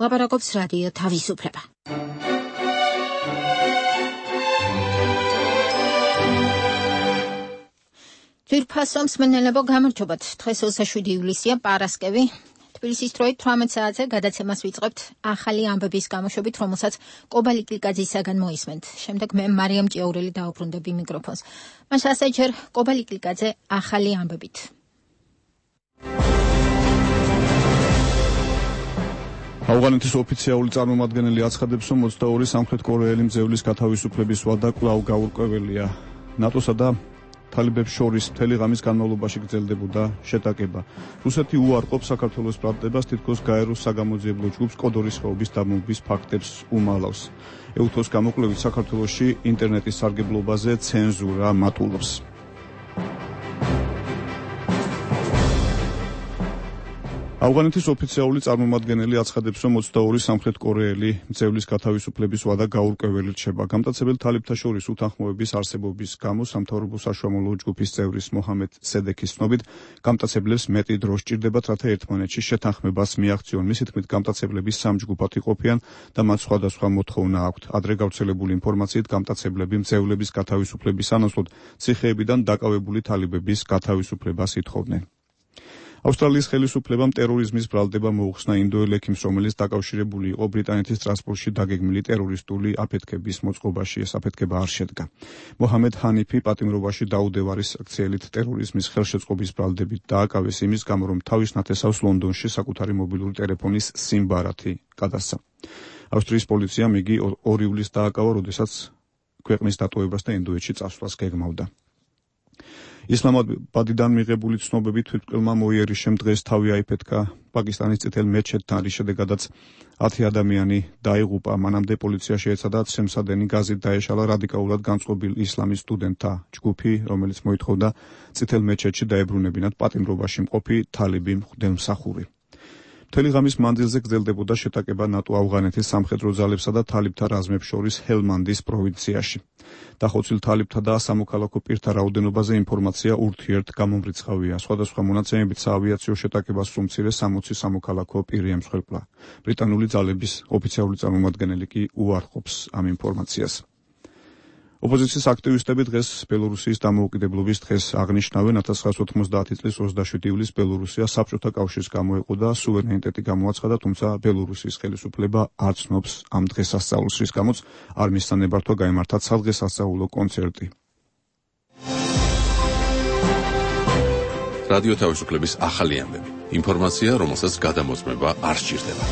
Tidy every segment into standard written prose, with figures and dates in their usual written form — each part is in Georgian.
ლაპარაკობს რადიო თავისუფლება. ძვირფასო მსმენელებო, გამარჯობათ. დღეს 27 ივლისია, პარასკევი. თბილისის დროით 18 საათზე გადაცემას ვიწყებთ ახალი ამბების გამოშვებით, რომელსაც კობალი კილიკაძისაგან მოისმენთ. შემდეგ მე მარიამ ჭიაურელი დაუბრუნდები მიკროფონს. მას ასე ჯერ კობალი კილიკაძე ახალი ამბებით. ავღანეთის ოფიციალური წარმომადგენელი აცხადებს, რომ 22 სამხრეთ კორეელი მძევლის გათავისუფლების ვადა კვლავ გაურკვეველია. ნატოსა და თალიბებს შორის მთელი ღამის განმავლობაში გრძელდებოდა შეტაკება. რუსეთი უარყოფს საქართველოს ბრალდებას, თითქოს გაეროს საგამოძიებლო ჯგუფს კოდორის ხეობის დამოუკიდებლობის ფაქტებს უმალავს. ეუთოს გამოკვლევით საქართველოში ინტერნეტის სარგებლობაზე ცენზურა მატულობს. ავღანეთის ოფიციალური წარმომადგენელი აცხადებს, რომ 22 სამხრეთ კორეელი მძევლის გათავისუფლების ვადა გაურკვეველი რჩება. გამტაცებელ თალიბთა შორის უთანხმოების არსებობის გამო სამთავრობო საშუალო ჯგუფის წევრის მოჰამედ სედექის ცნობით გამტაცებლებს მეტი დრო სჭირდებათ, რათა ერთმანეთში შეთანხმებას მიაღწიონ. მისი თქმით, გამტაცებლების სამ ჯგუფად იყოფიან და მათ სხვადასხვა მოთხოვნა აქვთ. ადრე გავრცელებული ინფორმაციით გამტაცებლები მძევლების გათავისუფლების სანაცვლოდ ციხეებიდან დაკავებული თალიბების გათავისუფლებას ითხოვდნენ. ავსტრალიის ხელისუფლებამ ტერორიზმის ბრალდება მოუხსნა ინდოელ ექიმს, რომელიც დაკავშირებული იყო ბრიტანეთის ტრანსპორტში დაგეგმილი ტერორისტული აფეთქების მოწყობაში. ეს აფეთქება არ შედგა. მოჰამედ ჰანიფი პატიმრობაში დაუდევარი საქციელით ტერორიზმის ხელშეწყობის ბრალდებით დააკავეს იმის გამო, რომ თავის ნათესავს ლონდონში საკუთარი მობილური ტელეფონის SIM ბარათი გადასცა. ავსტრიის პოლიციამ იგი 2 ივლისს დააკავა, როდესაც ქვეყნის დატოვებას და ინდოეთში წასვლას გეგმავდა. ისლამაბადიდან მიღებული ცნობებით თვითმკვლელმა მოიერიშემ დღეს თავი აიფეთქა პაკისტანის წითელ მეჩეთთან, რის შედეგადაც 10 ადამიანი დაიღუპა. მანამდე პოლიცია შეეცადა ცემსადენი გაზით დაეშალა რადიკალურად განწყობილ ისლამის სტუდენტთა ჯგუფი, რომელიც მოითხოვდა წითელ მეჩეთში დაებრუნებინათ პატიმრობაში მყოფი თალიბი მღვდელმსახური. მთელი ღამის მანძილზე გრძელდებოდა შეტაკება ნატო-ავღანეთის სამხედრო ძალებსა და თალიბთა რაზმებს შორის ჰელმანდის პროვინციაში. დახოცილ თალიბთა და სამოქალაქო პირთა რაოდენობაზე ინფორმაცია ურთიერთგამომრიცხავია. სხვადასხვა მონაცემებით საავიაციო შეტაკებას სულ მცირე 60 სამოქალაქო პირი ემსხვერპლა. ბრიტანული ძალების ოფიციალური წარმომადგენელი კი უარყოფს ამ ინფორმაციას. ოპოზიციის აქტივისტები დღეს ბელორუსიის დამოუკიდებლობის დღეს აღნიშნავენ. 1990 წლის 27 ივლისს ბელორუსია საბჭოთა კავშირს გამოეყო და სუვერენიტეტი გამოაცხადა, თუმცა ბელორუსიის ხელისუფლება არ ცნობს ამ დღესასწაულს, რის გამოც არ მისცა ნებართვა გაემართა სადღესასწაულო კონცერტი. რადიო თავისუფლების ახალი ამბები. ინფორმაცია, რომელსაც გადამოწმება არ სჭირდება.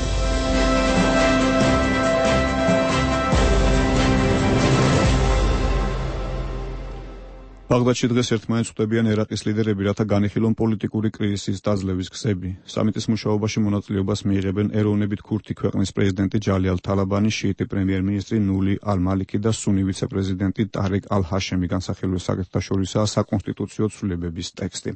ბაღდადში დღეს ერთმანეთს ხვდებიან ერაყის ლიდერები, რათა განიხილონ პოლიტიკური კრიზისის დაძლევის გზები. სამიტის მუშაობაში მონაწილეობას მიიღებენ ეროვნებით ქურთი ქვეყნის პრეზიდენტი ჯალი ალ-თალაბანი, შიიტი პრემიერ-მინისტრი ნული ალ-მალიკი და სუნი ვიცე-პრეზიდენტი ტარეკ ალ-ჰაშემი. განსახილველ საკითხთა შორისაა საკონსტიტუციო ცვლილებების ტექსტი.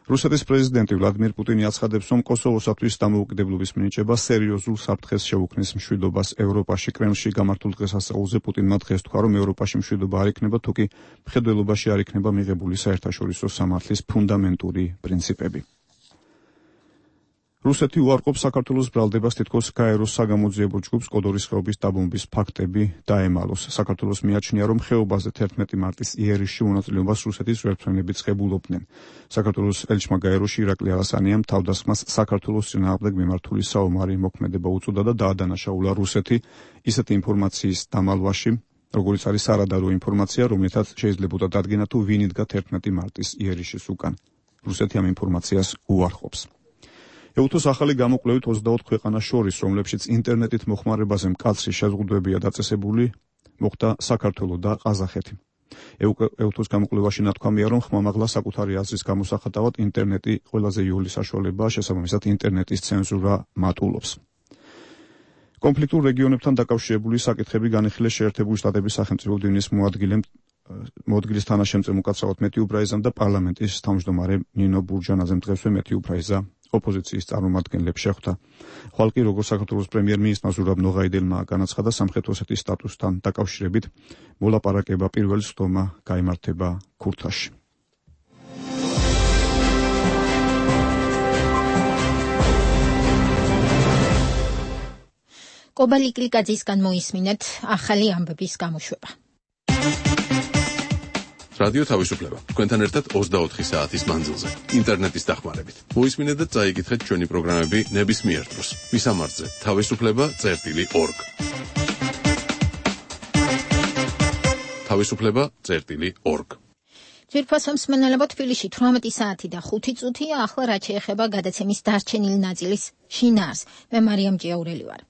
რუსეთის პრეზიდენტი ვლადიმირ პუტინი აცხადებს, რომ კოსოვოსათვის დამოუკიდებლობის მინიჭება სერიოზულ საფრთხეს შეუქმნის მშვიდობას ევროპაში. კრემლში გამართულ დღესასწაულზე პუტინმა დღეს თქვა, რომ ევროპაში მშვიდობა არ იქნება, თუკი მხედველობაში არ იქნება მიღებული საერთაშორისო სამართლის ფუნდამენტური პრინციპები. რუსეთი უარყოფს საქართველოს ბრალდებას, თითქოს გაეროს საგამოძიებო ჯგუფს კოდორის ხეობის დაბომბვის ფაქტები დაემალოს. საქართველოს მიაჩნია, რომ ხეობაზე 11 მარტის იერიშში მონაწილეობას რუსეთის ვერტმფრენებიც ღებულობდნენ. საქართველოს ელჩმა გაეროში ირაკლი ალასანიამ თავდასხმას საქართველოს წინააღმდეგ მიმართული საომარი მოქმედება უწოდა და დაადანაშაულა რუსეთი ისეთი ინფორმაციის დამალვაში, როგორც არის სარადარო ინფორმაცია, რომლითაც შეიძლებოდა დადგენა, თუ ვინ იდგა 11 მარტის იერიშის უკან. რუსეთი ამ ინფორმაციას უარყოფს. ეუთოს ახალი გამოკვლევით 24 ქვეყანას შორის, რომლებშიც ინტერნეტით მოხმარებაზე მკაცრი შეზღუდვებია დაწესებული, მოხდა საქართველო და ყაზახეთი. ეუთოს გამოკვლევაში ნათქვამია, რომ ხმამაღლა საკუთარი აზრის გამოსახატავად ინტერნეტი ყველაზე იოლი საშუალებაა, შესაბამისად ინტერნეტის ცენზურა მატულობს. კონფლიქტურ რეგიონებთან დაკავშირებული საკითხები განიხილეს შეერთებული შტატების სახელმწიფო დინის მოადგილის თანაშემწე უკაცრავად მეთიუ ბრაიზამ და პარლამენტის თავმჯდომარე ნინო ბურჯანაძემ. დღესვე მეთიუ ბრაიზა ოპოზიციის წარმომადგენლებს შეხვდა. ხვალ კი როგორც საქართველოს პრემიერ-მინისტრმა ზურაბ ნოღაიდელმა განაცხადა, სამხრეთ ოსეთის სტატუსთან დაკავშირებით მოლაპარაკება პირველ სხდომა გაიმართება ქურთაში. კობალი კილიკაძისგან მოისმინეთ ახალი ამბების გამოშვება. რადიო თავისუფლება. თქვენთან ერთად 24 საათის მანძილზე. ინტერნეტის დახმარებით. მოისმინეთ და წაიკითხეთ ჩვენი პროგრამები ნებისმიერ დროს. მისამართზე თავისუფლება.org. თავისუფლება.org. ძვირფასო მსმენელებო, თბილისში 18 საათი და 5 წუთია. ახლა რაც შეეხება გადაცემის დარჩენილი ნაწილის შინაარს. მე მარიამ ჭიაურელი ვარ.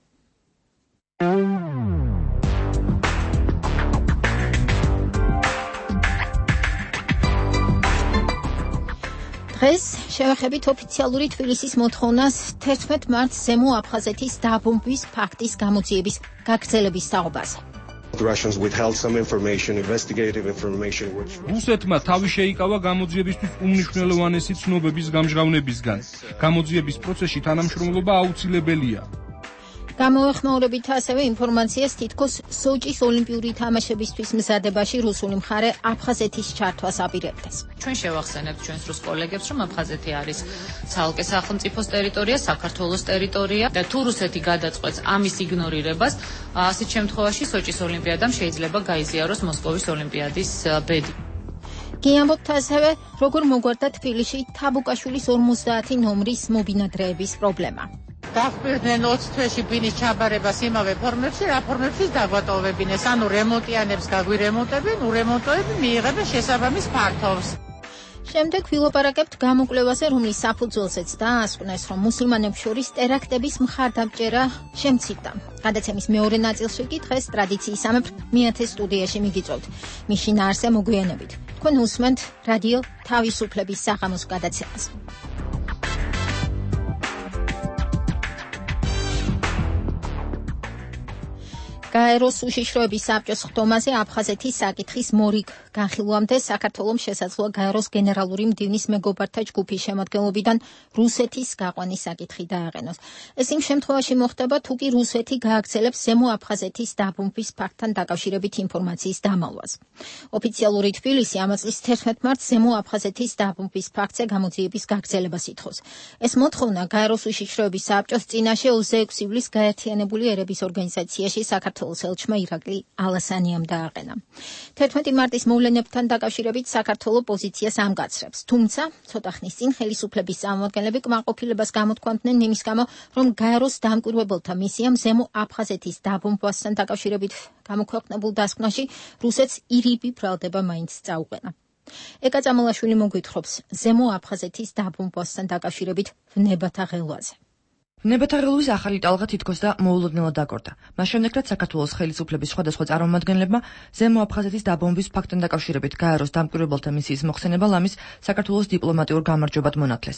დღეს შევეხებით ოფიციალური თბილისის მოთხოვნას 11 მარტს ზემო აფხაზეთის დაბომბვის ფაქტის გამოძიების გაგრძელების საუბარზე. რუსეთმა თავი შეიკავა გამოძიებისთვის უმნიშვნელოვანესი ცნობების გამჟღავნებისგან. გამოძიების პროცესში თანამშრომლობა აუცილებელია. გამოეხმაურებით ასევე ინფორმაციას თითქოს სოჭის ოლიმპიური თამაშებისთვის მზადებაში რუსული მხარე აფხაზეთის ჩართვას აპირებდეს. ჩვენ შევახსენებთ ჩვენს რუს კოლეგებს, რომ აფხაზეთი არის ცალკე სახელმწიფოს ტერიტორია, საქართველოს ტერიტორია და თუ რუსეთი გადაწყვეტს ამის იგნორირებას, ასეთ შემთხვევაში სოჭის ოლიმპიადამ შეიძლება გაიზიაროს მოსკოვის ოლიმპიადის ბედი. გიამბობთ ასევე, როგორ მოგვარდა თბილისში თაბუკაშვილის 50 ნომრის მობინადრეების პრობლემა. დახპირდნენ 20 თვეში ბინის ჩაბარებას იმავე ფორმებში, რა ფორმებშიც დაგვატოვებინეს, ანუ რემონტიანებს გაგვირემონტებენ, ურემონტოები მიიღებენ შესაბამის ფართობს. შემდეგ ვილაპარაკებთ გამოკვლევაზე, რომლის საფუძველზეც დაასკვნეს, რომ მუსლიმანებს შორის ტერაქტების მხარდამჭერა შემცირდა. გადაცემის მეორე ნაწილში კი დღეს ტრადიციისამებრ მეათე სტუდიაში მიგიწევთ. მის შინაარსზე მოგვიანებით. თქვენ უსმენთ რადიო თავისუფლების საღამოს გადაცემას. გაეროს უშიშროების საბჭოს ხდომაზე აფხაზეთის საკითხის მორიგ განხილვამდე საქართველოს შესაძლოა გაეროს გენერალური მდივნის მეგობართა ჯგუფის შემადგენლობიდან რუსეთის გაყვანის საკითხი დააყენოს. ეს იმ შემთხვევაში მოხდება, თუ კი რუსეთი გააგრძელებს ზემო აფხაზეთის დაბომბვის ფაქტთან დაკავშირებით ინფორმაციის დამალვას. ოფიციალური თბილისი ამ წლის 11 მარტს ზემო აფხაზეთის დაბომბვის ფაქტზე გამოძიების გაგრძელებას ითხოვს. ეს მოთხოვნა გაეროს უშიშროების საბჭოს წინაშე 26 ივლისს გაერთიანებული ერების ორგანიზაციაში საქართველოს ელჩმა ირაკლი ალასანიამ დააყენა. 11 მარტის მოვლენებთან დაკავშირებით საქართველოს პოზიციას ამგაცრებს. თუმცა, ცოტა ხნის წინ ხელისუფლების წარმომადგენლები კმაყოფილებას გამოთქვამდნენ იმის გამო, რომ გაეროს დამკვირვებელთა მისიამ ზემო აფხაზეთის დაბომბვასთან დაკავშირებით გამოქვეყნებულ დასკვნაში რუსეთს ირიბი ბრალდება მაინც წაუყენა. ეკა წამალაშვილი მოგვითხრობს ზემო აფხაზეთის დაბომბვასთან დაკავშირებით ვნებათა ღელვაზე. ვნებათა ღელვის ახალი ტალღა თითქოს და მოულოდნელად დაკორდა. მას შემდეგ, რაც საქართველოს ხელისუფლების სხვადასხვა წარმომადგენლებმა ზემო აფხაზეთის დაბომბვის ფაქტთან დაკავშირებით გაეროს დამკვირვებელთა მისიის მოხსენება ლამის საქართველოს დიპლომატიურ გამარჯვებად მონათლეს.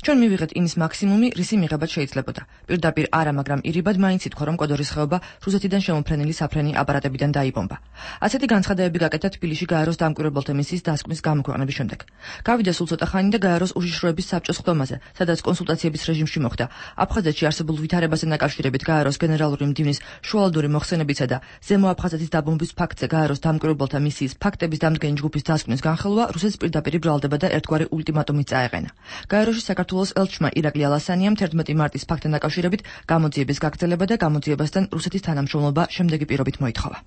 ჩვენ მივიღეთ იმის მაქსიმუმი, რისი მიღებად შეიძლებოდა. პირდაპირ არა, მაგრამ ირიბად მაინც ითქვა, რომ კოდორის ხეობა რუსეთიდან შემოფრენილი საფრენი აპარატებიდან დაიბომბა. ასეთი განცხადებები გაკეთა თბილისში გაეროს დამკვირვებელთა მისიის დასკვნის გამოქვეყნების შემდეგ. გავიდა სულ ცოტა ხანი და გაეროს უშიშროების საბჭოს ხდომაზე, სადაც კონსულტაციების რეჟიმში მოხდა. აფხაზეთში არსებულ ვითარებასთან დაკავშირებით გაეროს გენერალური მდივნის შუალედური მოხსენებისა და ზემო აფხაზეთის დაბომბვის ფაქტზე გაეროს დამკვირვებელთა მისიის ფაქტების დამდგენი ჯგუფის დასკვნის განხილვა რუსეთს პირდაპირ ბრალდება და ერთგვარი ულტიმატუმით წაეყენა. გაეროში საქართველოს ელჩმა ირაკლი ალასანიამ 11 მარტის ფაქტთან დაკავშირებით გამოძიების გაგრძელება და გამოძიებასთან რუსეთის თანამშრომლობა შემდეგი პირობით მოითხოვა.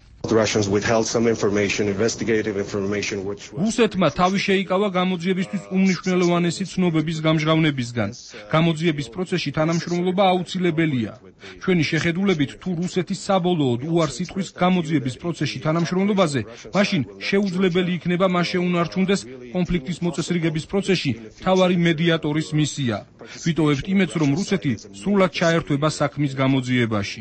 რუსეთმა თავი შეიკავა გამოძიებისთვის უმნიშვნელოვანესი ცნობების გამჟღავნებისგან. გამოძიების პროცესში თანამშრომლობა აუცილებელია. ჩვენი შეხედულებით, თუ რუსეთის საბოლოოდ უარს იტყვის გამოძიების პროცესში თანამშრომლობაზე, მაშინ შეუძლებელი იქნება მას შეუნარჩუნდეს კონფლიქტის მოწესრიგების პროცესში მთავარი მედიატორის მისია. ვიტოვებთ იმედს, რომ რუსეთი სრულად ჩაერთვება საქმის გამოძიებაში.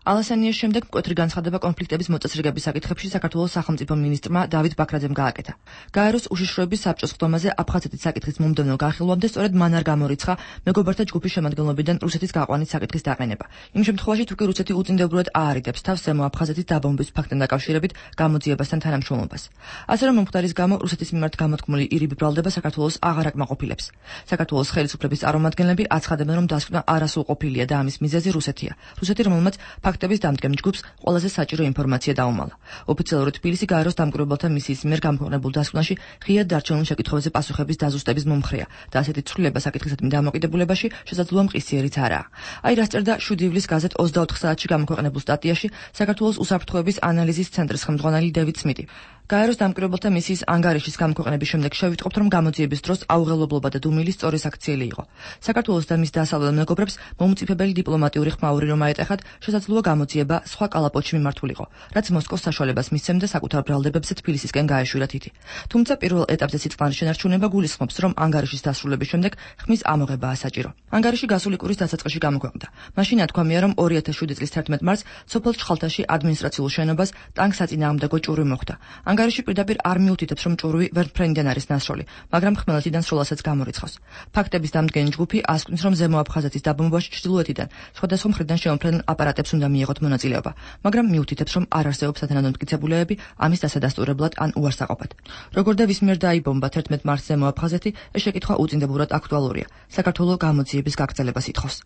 ალასანიას შემდეგ მკვეთრი განცხადება კონფლიქტების მოწესრიგების საკითხებში საქართველოს სახელმწიფო მინისტრმა დავით ბაქრაძემ გააკეთა. გაეროს უშიშროების საბჭოს ხდომაზე აფხაზეთის საკითხის მომდევნო განხილვამდე სწორედ მან არ გამორიცხა მეგობართა ჯგუფის შემადგენლობიდან რუსეთის გაყვანის საკითხის დაყენება. იმ შემთხვევაში, თუ კი რუსეთი უწინდებრად აარიდებს თავს ზემო აფხაზეთის დაბომბვის ფაქტთან დაკავშირებით გამოძიებასთან თანამშრომლობას. ასე რომ მომხდარის გამო რუსეთის მიმართ გამოთქმული ირიბი ბრალდება საქართველოს აღარ აკმაყოფილებს. საქართველოს ხელისუფლების წარმომადგენლები აცხადებენ, რომ დასკვნა არასრულყოფილია და ამის მიზეზი რუსეთია. რუსეთი, რომელმაც ფაქტების დამდგენ ჯგუფს ყველაზე საჭირო ინფორმაცია დაუმალა. ოფიციალურად თბილისი გაეროს დამკვირვებელთა მისიის მიერ გამქვეყნებულ დასკვნაში ღიად დარჩენილ შეკითხვებზე პასუხების დაზუსტების მომხრეა და ასეთი ცვლილება საკითხისადმი დამოკიდებულებაში შესაძლოა მყისიერიც არაა. აი რას წერდა 7 ივლისს გაზეთ 24 საათში გამქვეყნებულ სტატიაში საქართველოს უსაფრთხოების ანალიზის ცენტრის ხელმძღვანელი დევიდ სმიტი. გაეროს დამკვირვებელთა მისიის ანგარიშის გამქვეყნების შემდეგ შევიტყობთ, რომ გამოძიების დროს აუღელებლობა და დუმილი სწორი საქციელი იყო. საქართველოს და მის დასავლელ მეგობრებს მომწიფებელი დიპლომატიური ხმაური რომ აეტეხათ, შესაძლოა გამოძიება სხვა კალაპოტში მიმართულიყო, რაც მოსკოვს საშუალებას მისცემდა საკუთარ ბრალდებებზე თბილისისკენ გაეშვირათ ითი. თუმცა პირველ ეტაპზე სიტყვანის შენარჩუნება გულისხმობს, რომ ანგარიშის დასრულების შემდეგ ხმის ამოღებაა საჭირო. ანგარიში გასული კვირის დასაწყისში გამოქვეყნდა. მაშინ ათქვამია, რომ 2007 წლის 11 მარტს სოფელ ჩხალთაში ადმინისტრაციულ შენობას ტანკსაწინააღმდეგო ჭურვი მოხვდა. ანგარიში პირდაპირ არ მიუთითებს, რომ ჭურვი ვერტფრენიდან არის ნასროლი, მაგრამ ხმელეთიდან სროლასაც გამორიცხავს. ფაქტების დამდგენი ჯგუფი ასკვნის, რომ ზემო აფხაზეთის დაბომბვაში ჩრდილოეთიდან სხვადასხვა მხრიდან შემოფრენილ აპარატებს უნდა მიიღოთ მონაწილეობა, მაგრამ მიუთითებს, რომ არ არსებობს სათანადო მტკიცებულებები ამის დასადასტურებლად ან უარსაყოფად. როგორ და ვის მიერ დაიბომბა 11 მარტს ზემო აფხაზეთი, ეს შეკითხვა უწინდებურად აქტუალურია. საქართველოს გამოძიების გაგრძელებას ითხოვს.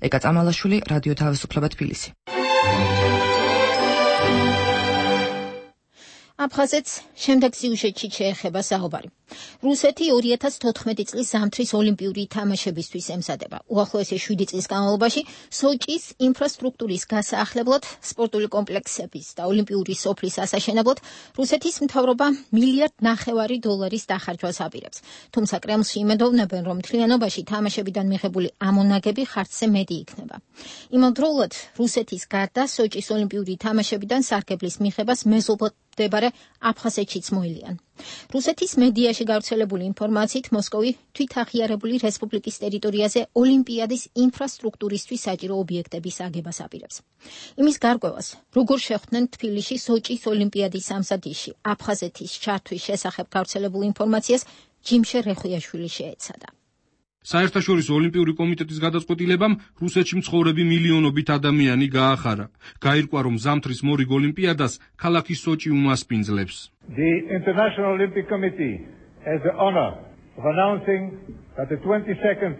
ეკა წამალაშვილი, რადიო თავისუფლება თბილისი. აფხაზეთს შემდეგ სიუჟეტში შეეხება საუბარი. რუსეთი 2014 წლის ზამთრის ოლიმპიური თამაშებისთვის ემზადება. უახლოესი 7 წლის განმავლობაში სოჭის ინფრასტრუქტურის გასაახლებლად, სპორტული კომპლექსების და ოლიმპიური სოფლის ასაშენებლად რუსეთის მთავრობა $1.5 მილიარდ დახარჯვას აპირებს. თუმცა კრემლში იმედოვნებენ, რომ მთლიანობაში თამაშებიდან მიღებული ამონაგები ხარჯზე მეტი იქნება. იმავდროულად რუსეთის გარდა სოჭის ოლიმპიური თამაშებიდან სარგებლის მიღებას მეზობლდებარე აფხაზეთშიც მოილიან. რუსეთის მედიაში გავრცელებული ინფორმაციით მოსკოვი თვითაღიარებული რესპუბლიკის ტერიტორიაზე ოლიმპიადის ინფრასტრუქტურისთვის საჭირო ობიექტების აგებას აპირებს. იმის გარკვევას, როგორ შეხვდნენ თბილისში სოჭის ოლიმპიადის ამზადისში აფხაზეთის ჩართვის შესახებ გავრცელებულ ინფორმაციას ჯიმშე რეხვიაშვილი შეეცადა. საერთაშორისო ოლიმპიური კომიტეტის გადაწყვეტილებამ რუსეთში მცხოვრები მილიონობით ადამიანი გაახარა. გაირკვა, რომ ზამთრის მორიგ ოლიმპიადას ქალაქი სოჭი უმასპინძლებს. The International Olympic Committee has the honor of announcing that the 22nd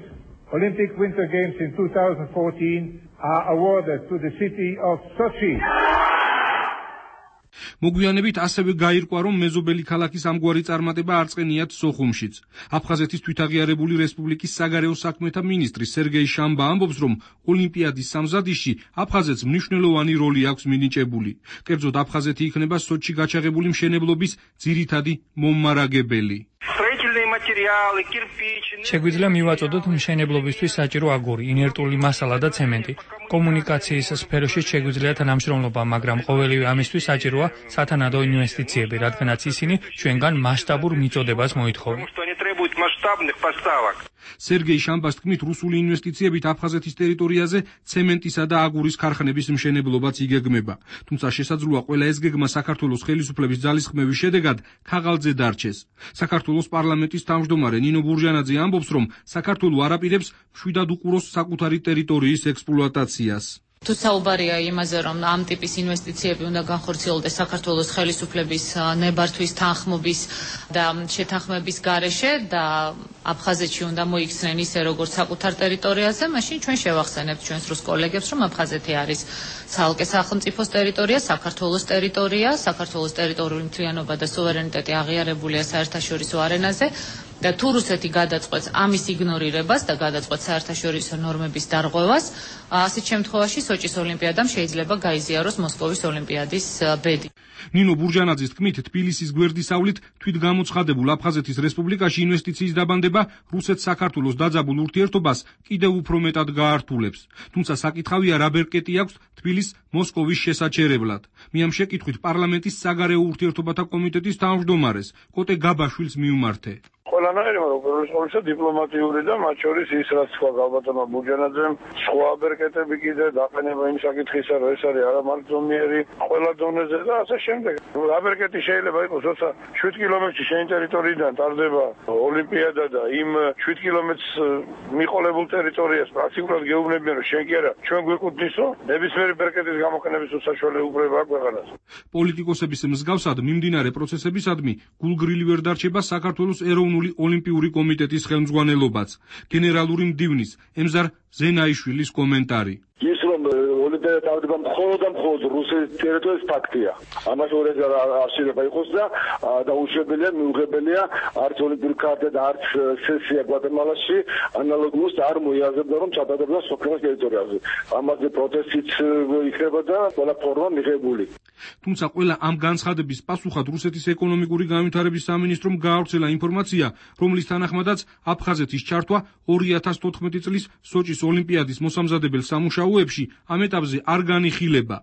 Olympic Winter Games in 2014 are awarded to the city of Sochi. მოგვიანებით ასევე გაირკვა, რომ მეზობელი ქალაქის ამგვარი წარმატება არ წყენიათ სოხუმშიც. აფხაზეთის თვითაღიარებული რესპუბლიკის საგარეო საქმეთა მინისტრი სერგეი შამბა ამბობს, რომ ოლიმპიადის სამზადისში აფხაზეთს მნიშვნელოვანი როლი აქვს მინიჭებული. კერძოდ აფხაზეთი იქნება სოჭში გაჩაღებული მშენებლობის ძირითადი მომმარაგებელი. შეგვიძლია მივაწოდოთ მშენებლობისთვის საჭირო აგური, ინერტული მასალა და ცემენტი. კომუნიკაციის სფეროში შეგვიძლია თანამშრომლობა, მაგრამ ყოველივე ამისთვის საჭიროა სათანადო ინვესტიციები, რადგანაც ისინი ჩვენგან მასშტაბურ მიწოდებას მოითხოვენ. სერგეი შამბას თქმით, რუსული ინვესტიციებით აფხაზეთის ტერიტორიაზე ცემენტისა და აგურის ქარხნების მშენებლობაც იგეგმება. თუმცა შესაძლოა ყველა ეს გეგმა საქართველოს ხელისუფლების ძალისხმევის შედეგად ქაღალდზე დარჩეს. საქართველოს პარლამენტის თავმჯდომარე ნინო ბურჟანაძე ამბობს, რომ საქართველო არ აპირებს მშვიდად უყუროს საკუთარი ტერიტორიის ექსპლუატაციას. თუ საუბარია იმაზე, რომ ამ ტიპის ინვესტიციები უნდა განხორციელდეს საქართველოს ხელისუფლების ნებართვის თანხმობის და შეთანხმების გარეშე და აფხაზეთში უნდა მოიქცნენ ისე, როგორც საკუთარ ტერიტორიაზე, მაშინ ჩვენ შევახსენებთ ჩვენს რუს კოლეგებს, რომ აფხაზეთი არის ცალკე სახელმწიფოს ტერიტორია, საქართველოს ტერიტორია, საქართველოს ტერიტორიული მთლიანობა და სუვერენიტეტი აღიარებულია საერთაშორისო არენაზე. და თუ რუსეთი გადაწყვეტს ამის იგნორირებას და გადაწყვეტს საერთაშორისო ნორმების დარღვევას, ასეთ შემთხვევაში სოჭის ოლიმპიადამ შეიძლება გაიზიაროს მოსკოვის ოლიმპიადის ბედი. ნინო ბურჟანაძის თქმით, თბილისის გვერდისავლით თვითგამოცხადებულ აფხაზეთის რესპუბლიკაში ინვესტიციის დაბანდება რუსეთ-საქართველოს დაძაბულ ურთიერთობას კიდევ უფრო მეტად გაართულებს. თუმცა საკითხავია, რა ბერკეტი აქვს თბილისს მოსკოვის შესაჩერებლად. მე ამ შეკითხვით პარლამენტის საგარეო ურთიერთობათა კომიტეტის თავმჯდომარეს კოტე გაბაშვილს მივმართე. ყველანაირი, უპირველეს ყოვლისა დიპლომატიური და მათ შორის ის, რაც თქვა გალბატონმა ბურჟანაძემ, სხვა ბერკეტები კიდე დაყენება იმ საკითხისა, რომ ეს არის არამარჯვენიერი ყველა დონეზე და ასე შემდეგ. რა ბერკეტი შეიძლება იყოს, როცა 7 კილომეტრში შენი ტერიტორიიდან ტარდება ოლიმპიადა და იმ 7 კილომეტრს მიყოლებულ ტერიტორიას პრაქტიკულად გეუბნებიან, რომ შენ კი არა, ჩვენ გვეკუთვნისო, ნებისმიერი ბერკეტის გამოყენების უსაშუალო უფლება აქვს ქვეყანას. პოლიტიკოსების მსგავსად მიმდინარე პროცესებისადმი გულგრილი ვერ დარჩება საქართველოს ეროვნული ოლიმპიური კომიტეტის ხელმძღვანელობაც. გენერალური მდივნის ემზარ ზენაიშვილის კომენტარი. ის რომ ოლიმპიადა თავდება მხოლოდ და მხოლოდ რუსეთის ტერიტორიის ფაქტია. ამას ორ არჩევა იყოს და უშუალოდ მიუღებელია არც ოლიმპიური კარტა და არც სესია გვატემალაში ანალოგიურს არ მოიაზრებდა რომ ჩატარდება სოფლის ტერიტორიაზე. ამაზე პროტესტიც იქნება და ყველა ფორმა მიღებული. თუმცა ყველა ამ განცხადების პასუხად რუსეთის ეკონომიკური განვითარების სამინისტრომ გაავრცელა ინფორმაცია, რომლის თანახმადაც აფხაზეთის ჩართვა 2014 წლის სოჭის ოლიმპიადის მოსამზადებელ სამუშაოებში ამ ეტაპზე არ განიხილება.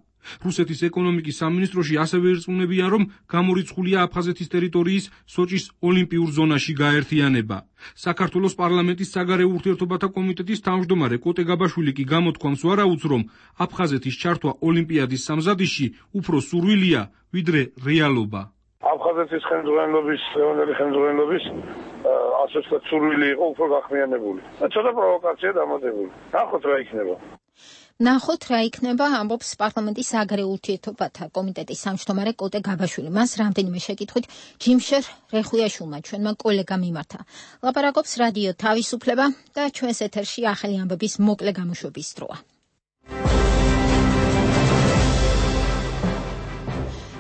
რუსეთის ეკონომიკის სამინისტროში ასევე ირწმუნებია, რომ გამორიცხულია აფხაზეთის ტერიტორიის სოჭის ოლიმპიურ ზონაში გაერთიანება. საქართველოს პარლამენტის საგარეო ურთიერთობათა კომიტეტის თავმჯდომარე კოტე გაბაშვილი კი გამოთქვამს ვარაუდს, რომ აფხაზეთის ჩართვა ოლიმპიადის სამზადისში უფრო სურვილია, ვიდრე რეალობა. აფხაზეთის ხელმძღვანელობის ასოციაციას სურვილი იყო უფრო გახმიანებული. ცოტა პროვოკაცია დამატებული. ნახოთ რა იქნება. ნახოთ რა იქნება, ამბობს პარლამენტის საგარეო ურთიერთობათა კომიტეტის თავმჯდომარე კოტე გაბაშვილი. მას რამდენიმე შეკითხვით ჯიმშერ რეხუიაშვილმა ჩვენმა კოლეგამ მიმართა. ლაპარაკობს რადიო თავისუფლება და ჩვენს ეთერში ახალი ამბების მოკლე გამოშვების დროა.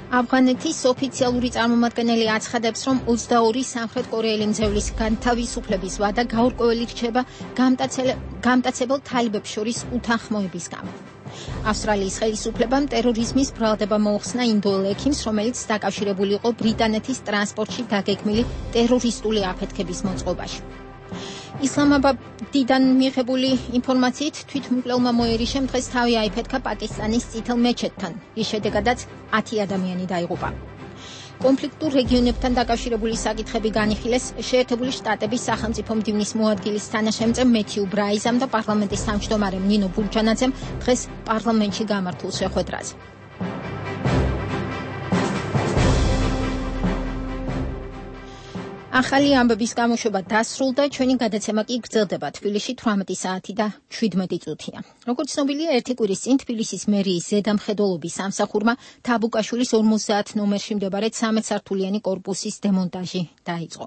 ავღანეთის ოფიციალური წარმომადგენელი აცხადებს, რომ 22 სამხრეთ კორეელი მძევლის განთავისუფლების ვადა გაურკვეველი რჩება გამტაცებელ თალიბებს შორის უთანხმოების გამო. ავსტრალიის ხელისუფლებამ ტერორიზმის ბრალდება მოუხსნა ინდოელ ექიმს, რომელიც დაკავშირებული იყო ბრიტანეთის ტრანსპორტში დაგეგმილი ტერორისტული აფეთქების მოწყობაში. ისლამაბადიდან მიღებული ინფორმაციით თვითმკვლელმა მოერიშემ დღეს თავი აიფეთქა პაკისტანის წითელ მეჩეთთან, რის შედეგადაც 10 ადამიანი დაიღუპა. კონფლიქტურ რეგიონებთან დაკავშირებული საკითხები განიხილეს შეერთებული შტატების სახელმწიფო მდივნის მოადგილის თანაშემწე მეთიუ ბრაიზამ და პარლამენტის თავმჯდომარემ ნინო ბურჯანაძემ დღეს პარლამენტში გამართულ შეხვედრაზე. ახალი ამბების გამოშვება დასრულდა, ჩვენი გადაცემა კი გრძელდება თბილისში 18 საათი და 17 წუთია. როგორც ცნობილია, ერთი კვირის წინ თბილისის მერიის ზედამხედველობის სამსახურმა თაბუკაშვილის 50 ნომერში მდებარე 13 სართულიანი კორპუსის დემონტაჟი დაიწყო.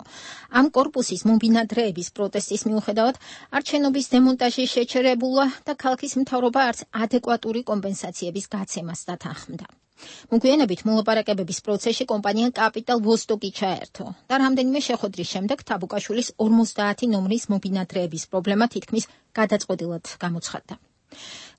ამ კორპუსის მომბინადრეების პროტესტის მიუხედავად არჩენობის დემონტაჟი შეჩერებულა და ქალაქის მთავრობა არც ადეკვატური კომპენსაციების გაცემას დათანხმდა. მოგვიანებით მოლაპარაკებების პროცესში კომპანია კაპიტალ ვოსტოკი ჩაერთო და რამდენიმე შეხვედრის შემდეგ თაბუკაშვილის 50 ნომრის მომბინადრეების პრობლემა თითქმის გადაწყვეტილად გამოცხადდა.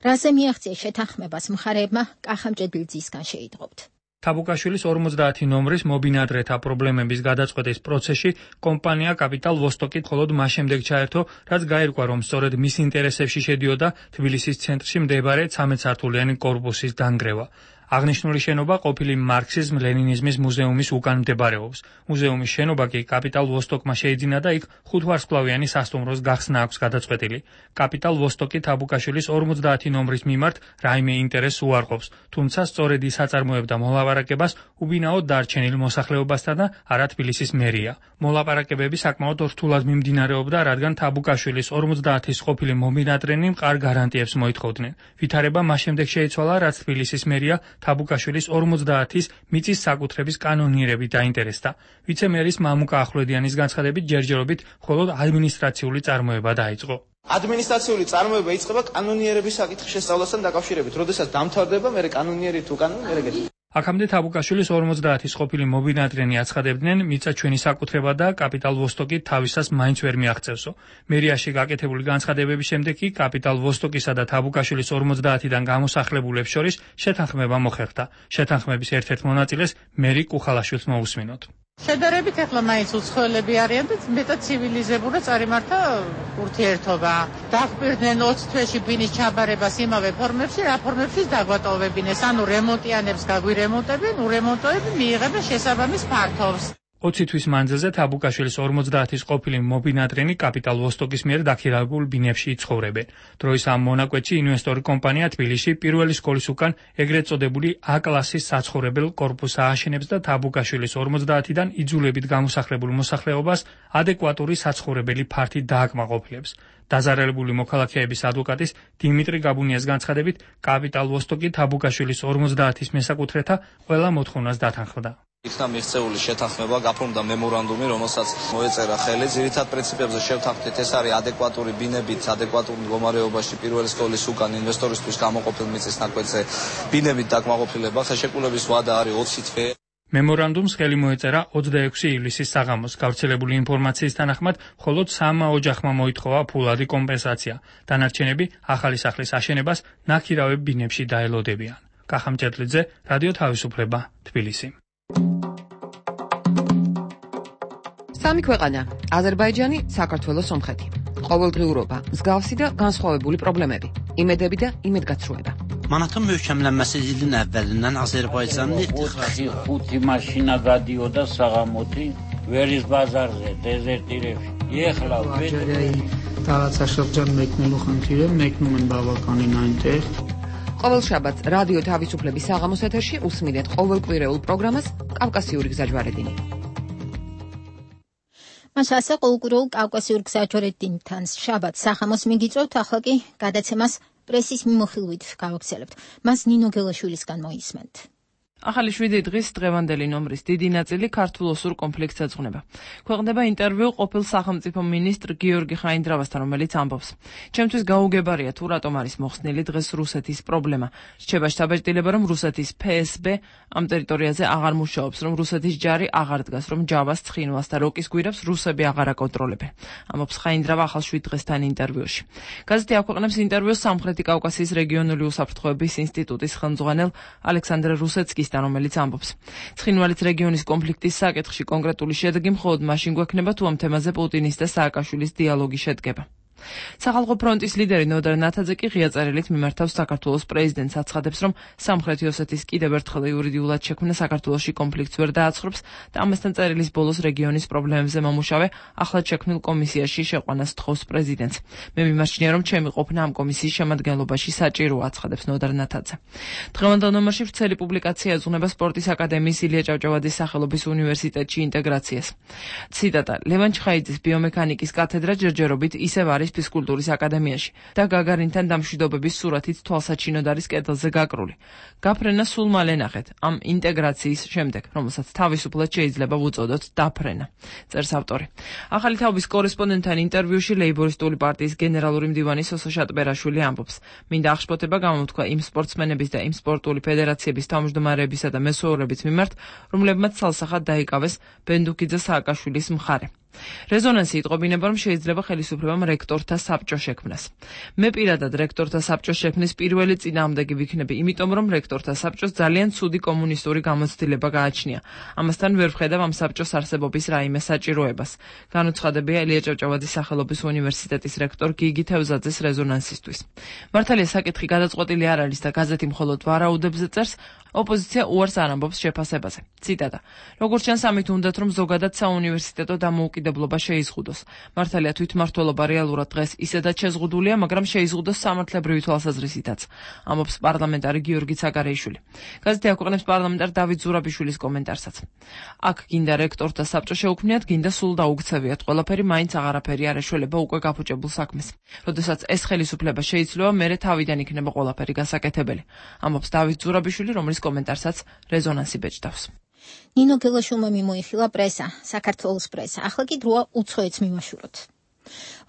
რაზე მიაღწია შეთანხმებას მხარეებმა კახამჭედლიძისგან შეიტყობთ. თაბუკაშვილის 50 ნომრის მობინადრეთა პრობლემების გადაწყვეტის პროცესში კომპანია კაპიტალ ვოსტოკი მხოლოდ მას შემდეგ ჩაერთო, რაც გაირკვა, რომ სწორედ მის ინტერესებში შედიოდა თბილისის ცენტრში მდებარე 13 სართულიანი კორპუსის დანგრევა. აღნიშნული შენობა ყოფილი მარქსიზმ-ლენინიზმის მუზეუმის უკან მდებარეობს. მუზეუმის შენობა კი კაპიტალ ვოსტოკმა შეიძინა და იქ 5 ვარსკვლავიანი სასტუმროს გახსნა აქვს გადაწყვეტილი. კაპიტალ ვოსტოკი თაბუკაშვილის 50 ნომრის მიმართ რაიმე ინტერესს უარყოფს, თუმცა სწორედ ის აწარმოებდა მოლაპარაკებას უბინაოდ დარჩენილ მოსახლეობასთან და არა თბილისის მერია. მოლაპარაკებები საკმაოდ რთულად მიმდინარეობდა, რადგან თაბუკაშვილის 50-ის ყოფილი მომბინადრენი მყარ გარანტიებს მოითხოვდნენ. ვითარება მას შემდეგ შეიცვალა, რაც თბილისის მერია თაბუკაშვილის 50-ის მიწის საკუთრების კანონიერებით დაინტერესდა. ვიცე-მერის მამუკა ახვლედიანის განცხადებით ჯერჯერობით მხოლოდ ადმინისტრაციული წარმოება დაიწყო. ადმინისტრაციული წარმოება იწყება კანონიერების საკითხის შესწავლასთან დაკავშირებით, როდესაც დამთავრდება, მერე კანონიერი თუ კანონი მერე გეტყვი. აქამდე თაბუკაშვილის 50-ის ყოფილი მომბინადრენი აცხადებდნენ, მიწა ჩვენი საკუთრება და კაპიტალ ვოსტოკი თავისას მაინც ვერ მიაღწევსო. მერიაში გაკეთებული განცხადებების შემდეგ კი კაპიტალ ვოსტოკისა და თაბუკაშვილის 50-დან გამოსახლებულებს შორის შეთანხმება მოხერხდა. შეთანხმების ერთ-ერთ მონაწილეს მერი კუხალაშვილს მოусმინოთ. შედარებით ახლა მაინც უცხოელები არიან და მეტად ცივილიზებურად წარიმართა ურთიერთობა. დაგპირდნენ 20 თვეში ბინის ჩაბარებას იმავე ფორმებში, რა ფორმებშიც დაგვატოვებინეს, ანუ რემონტიანებს გაგვირემონტებენ, ურემონტოები მიიღებენ შესაბამის ფართობს. 20 თვის მანძილზე თაბუკაშვილის 50-ის ყოფილი მომბინადრენი კაპიტალ ვოსტოკის მიერ დაქირავებულ ბინებში იცხოვრებენ. დროის ამ მონაკვეთში ინვესტორი კომპანია თბილისში პირველი სკოლის უკან ეგრეთ წოდებული A-კლასის საცხოვრებელ კორპუსს ააშენებს და თაბუკაშვილის 50-დან იძულებით გამოსახლებულ მოსახლეობას ადეკვატური საცხოვრებელი ფართი დააკმაყოფილებს. დაზარალებული მოქალაქეების ადვოკატის დიმიტრი გაბუნიას განცხადებით, კაპიტალ ვოსტოკი თაბუკაშვილის 50-ის მესაკუთრეთა ყველა მოთხოვნას დათანხმდა. იქნა მიღწეული შეთანხმება, გაფორმდა მემორანდუმი, რომელსაც მოეწერა ხელი. ძირითად პრინციპებზე შევთანხმდით, ეს არის ადეკვატური ბინებით, ადეკვატურ მდგომარეობაში პირველი სკოლის უკან ინვესტორისთვის გამოყოფილ მიწის ნაკვეთზე ბინებით დაკმაყოფილება. ხელშეკრულების ვადა არის 20 თვე. მემორანდუმს ხელი მოეწერა 26 ივლისის საღამოს. გავრცელებული ინფორმაციის თანახმად, მხოლოდ 3 ოჯახმა მოითხოვა ფულადი კომპენსაცია. დანარჩენები ახალი სახლის აშენებას ნაქირავებ ბინებში დაელოდებიან. კახამ ჭედლიძე, რადიო თავისუფლება, თბილისი. სამი ქვეყანა: აზერბაიჯანი, საქართველო, სომხეთი. ყოველდღიურობა, მსგავსი და განსხვავებული პრობლემები, იმედები და იმედგაცრუება. Manatın möhkəmlənməsi ilin əvvəlindən Azərbaycanın ixtixası 5 maşına qadıyorda sağamoti veriz bazarზე dezertirებში. Ეხლა տարածաշրջան մեկնելու խնդիրը մեկնում են բավականին այնտեղ. ყოველ შაბათს რადიო თავისუფლების საღამოს ეთერში უსმენთ ყოველკვირეულ პროგრამას კავკასიური გზაჯვარედინი. მას ასე ყოველკვირეულ კავკასიური გზაჯვარედინთან შაბათს საღამოს მიგიწევთ, ახლა კი გადაცემას პრესის მიმოხილვით გავაგრძელებთ. მას ნინო გელაშვილისგან მოისმენთ. ახალი 7 დღის დღევანდელი ნომრის დიდი ნაწილი ქართულ-ოსურ კონფლიქტს ეძღვნება. ქვეყნდება ინტერვიუ ყოფილ სახელმწიფო მინისტრ გიორგი ხაინდრავასთან, რომელიც ამბობს: ჩემთვის გაუგებარია თუ რატომ არის მოხსნილი დღეს რუსეთის პრობლემა. რჩება შთაბეჭდილება, რომ რუსეთის FSB ამ ტერიტორიაზე აღარ მუშაობს, რომ რუსეთის ჯარი აღარ დგას, რომ ჯავას, ცხინვალს და როკის გვირაბს რუსები აღარ აკონტროლებენ. ამბობს ხაინდრავა ახალ 7 დღესთან ინტერვიუში. გაზეთი აქვეყნებს ინტერვიუს სამხრეთი კავკასიის რეგიონული უსაფრთხოების ინსტიტუტის ხელმძღვანელ ალექსანდრე რუსეცკის, რომელიც ამბობს: ცხინვალის რეგიონის კონფლიქტის საკითხში კონკრეტული შედეგი მხოლოდ მაშინ გვექნება, თუ ამ თემაზე პუტინის და სააკაშვილის დიალოგი შედგება. სახალხო ფრონტის ლიდერი ნოდარ ნათაძე კი ღია წერილით მიმართავს საქართველოს პრეზიდენტს, აცხადებს, რომ სამხრეთი ოსეთის კიდევ ერთხელ იურიდიულად შექმნა საქართველოში კონფლიქტს ვერ დააცხრობს და ამასთან წერილის ბოლოს რეგიონის პრობლემებზე მომუშავე ახლად შექმნილ კომისიაში შეყვანას თხოვს პრეზიდენტს. მე მიმარჩნია, რომ ჩემი ყოფნა ამ კომისიის შემადგენლობაში საჭიროა, აცხადებს ნოდარ ნათაძე. დღევანდელ ნომერში ვრცელი პუბლიკაცია ეძღვნება სპორტის აკადემიის ილია ჭავჭავაძის სახელობის უნივერსიტეტში ინტეგრაციას. ციტატა: ლევან ჩხაიძის ბიომექანიკის კათედრა ჯერჯერობით ისევ არის ფიზკულტურის აკადემიაში და გაგარინთან დამშვიდობების სურათით თვალსაჩინოდ არის კედელზე გაკრული. გაფრენა სულ მალე ნახეთ, ამ ინტეგრაციის შემდეგ, რომელსაც თავისუფლად შეიძლება ვუწოდოთ დაფრენა, წერს ავტორი. ახალი თაობის კორესპონდენტთან ინტერვიუში ლეიბორისტული პარტიის გენერალური მდივანი სოსო შატბერაშვილი ამბობს: მინდა აღშფოთება გამოთქვა იმ სპორტსმენების და იმ სპორტული ფედერაციების თავმჯდომარეებისა და მესვეურების მიმართ, რომლებმაც ცალსახად დაიკავეს ბენდუქიძე სააკაშვილის მხარე. რეზონანსი იტყობინება, რომ შეიძლება ხელისუფლებამ რექტორთა საბჭო შექმნას. მე პირადად რექტორთა საბჭოს შექმნის პირველი წინააღმდეგი ვიქნები, იმიტომ რომ რექტორთა საბჭოს ძალიან ცუდი კომუნისტური გამოცდილება გააჩნია. ამასთან ვერ ვხედავ ამ საბჭოს არსებობის რაიმე საჭიროებას. განუცხადებია ილია ჭავჭავაძის სახელობის უნივერსიტეტის რექტორ გიგი თევზაძეს რეზონანსისთვის. მართალია საკითხი გადაწყვეტილი არ არის და გაზეთი მხოლოდ ვარაუდებზე წერს, ოპოზიცია უარს არ ამბობს შეფასებაზე. ციტატა: როგორც ჩანს, ამით უნდათ, რომ ზოგადად საუნივერსიტეტო დამოუკიდებლობა შეიზღუდოს. მართალია თვითმმართველობა რეალურად დღეს ისედაც შეზღუდულია, მაგრამ შეიზღუდოს სამართლებრივი თვალსაზრისითაც, ამბობს პარლამენტარი გიორგი ცაგარეიშვილი. გაზეთი აქვეყნებს პარლამენტარ დავით ზურაბიშვილის კომენტარსაც. აქ გინდა რექტორთა საბჭო შეუქმნიათ, გინდა სულ დაუქცევიათ, ყველაფერი მაინც აღარაფერი არ ეშველება უკვე გაფუჭებულ საქმეს. როდესაც ეს ხელისუფლება შეიცვლება, მერე თავიდან იქნება ყველაფერი გასაკეთებელი, ამბობს დავით ზურაბიშვილი, რომლის კომენტარსაც რეზონანსი ბეჭდავს. ნინო გელაშვილმა მიმოიხილა პრესა, საქართველოს პრესა. ახლა კი დროა უცხოეთს მივაშუროთ.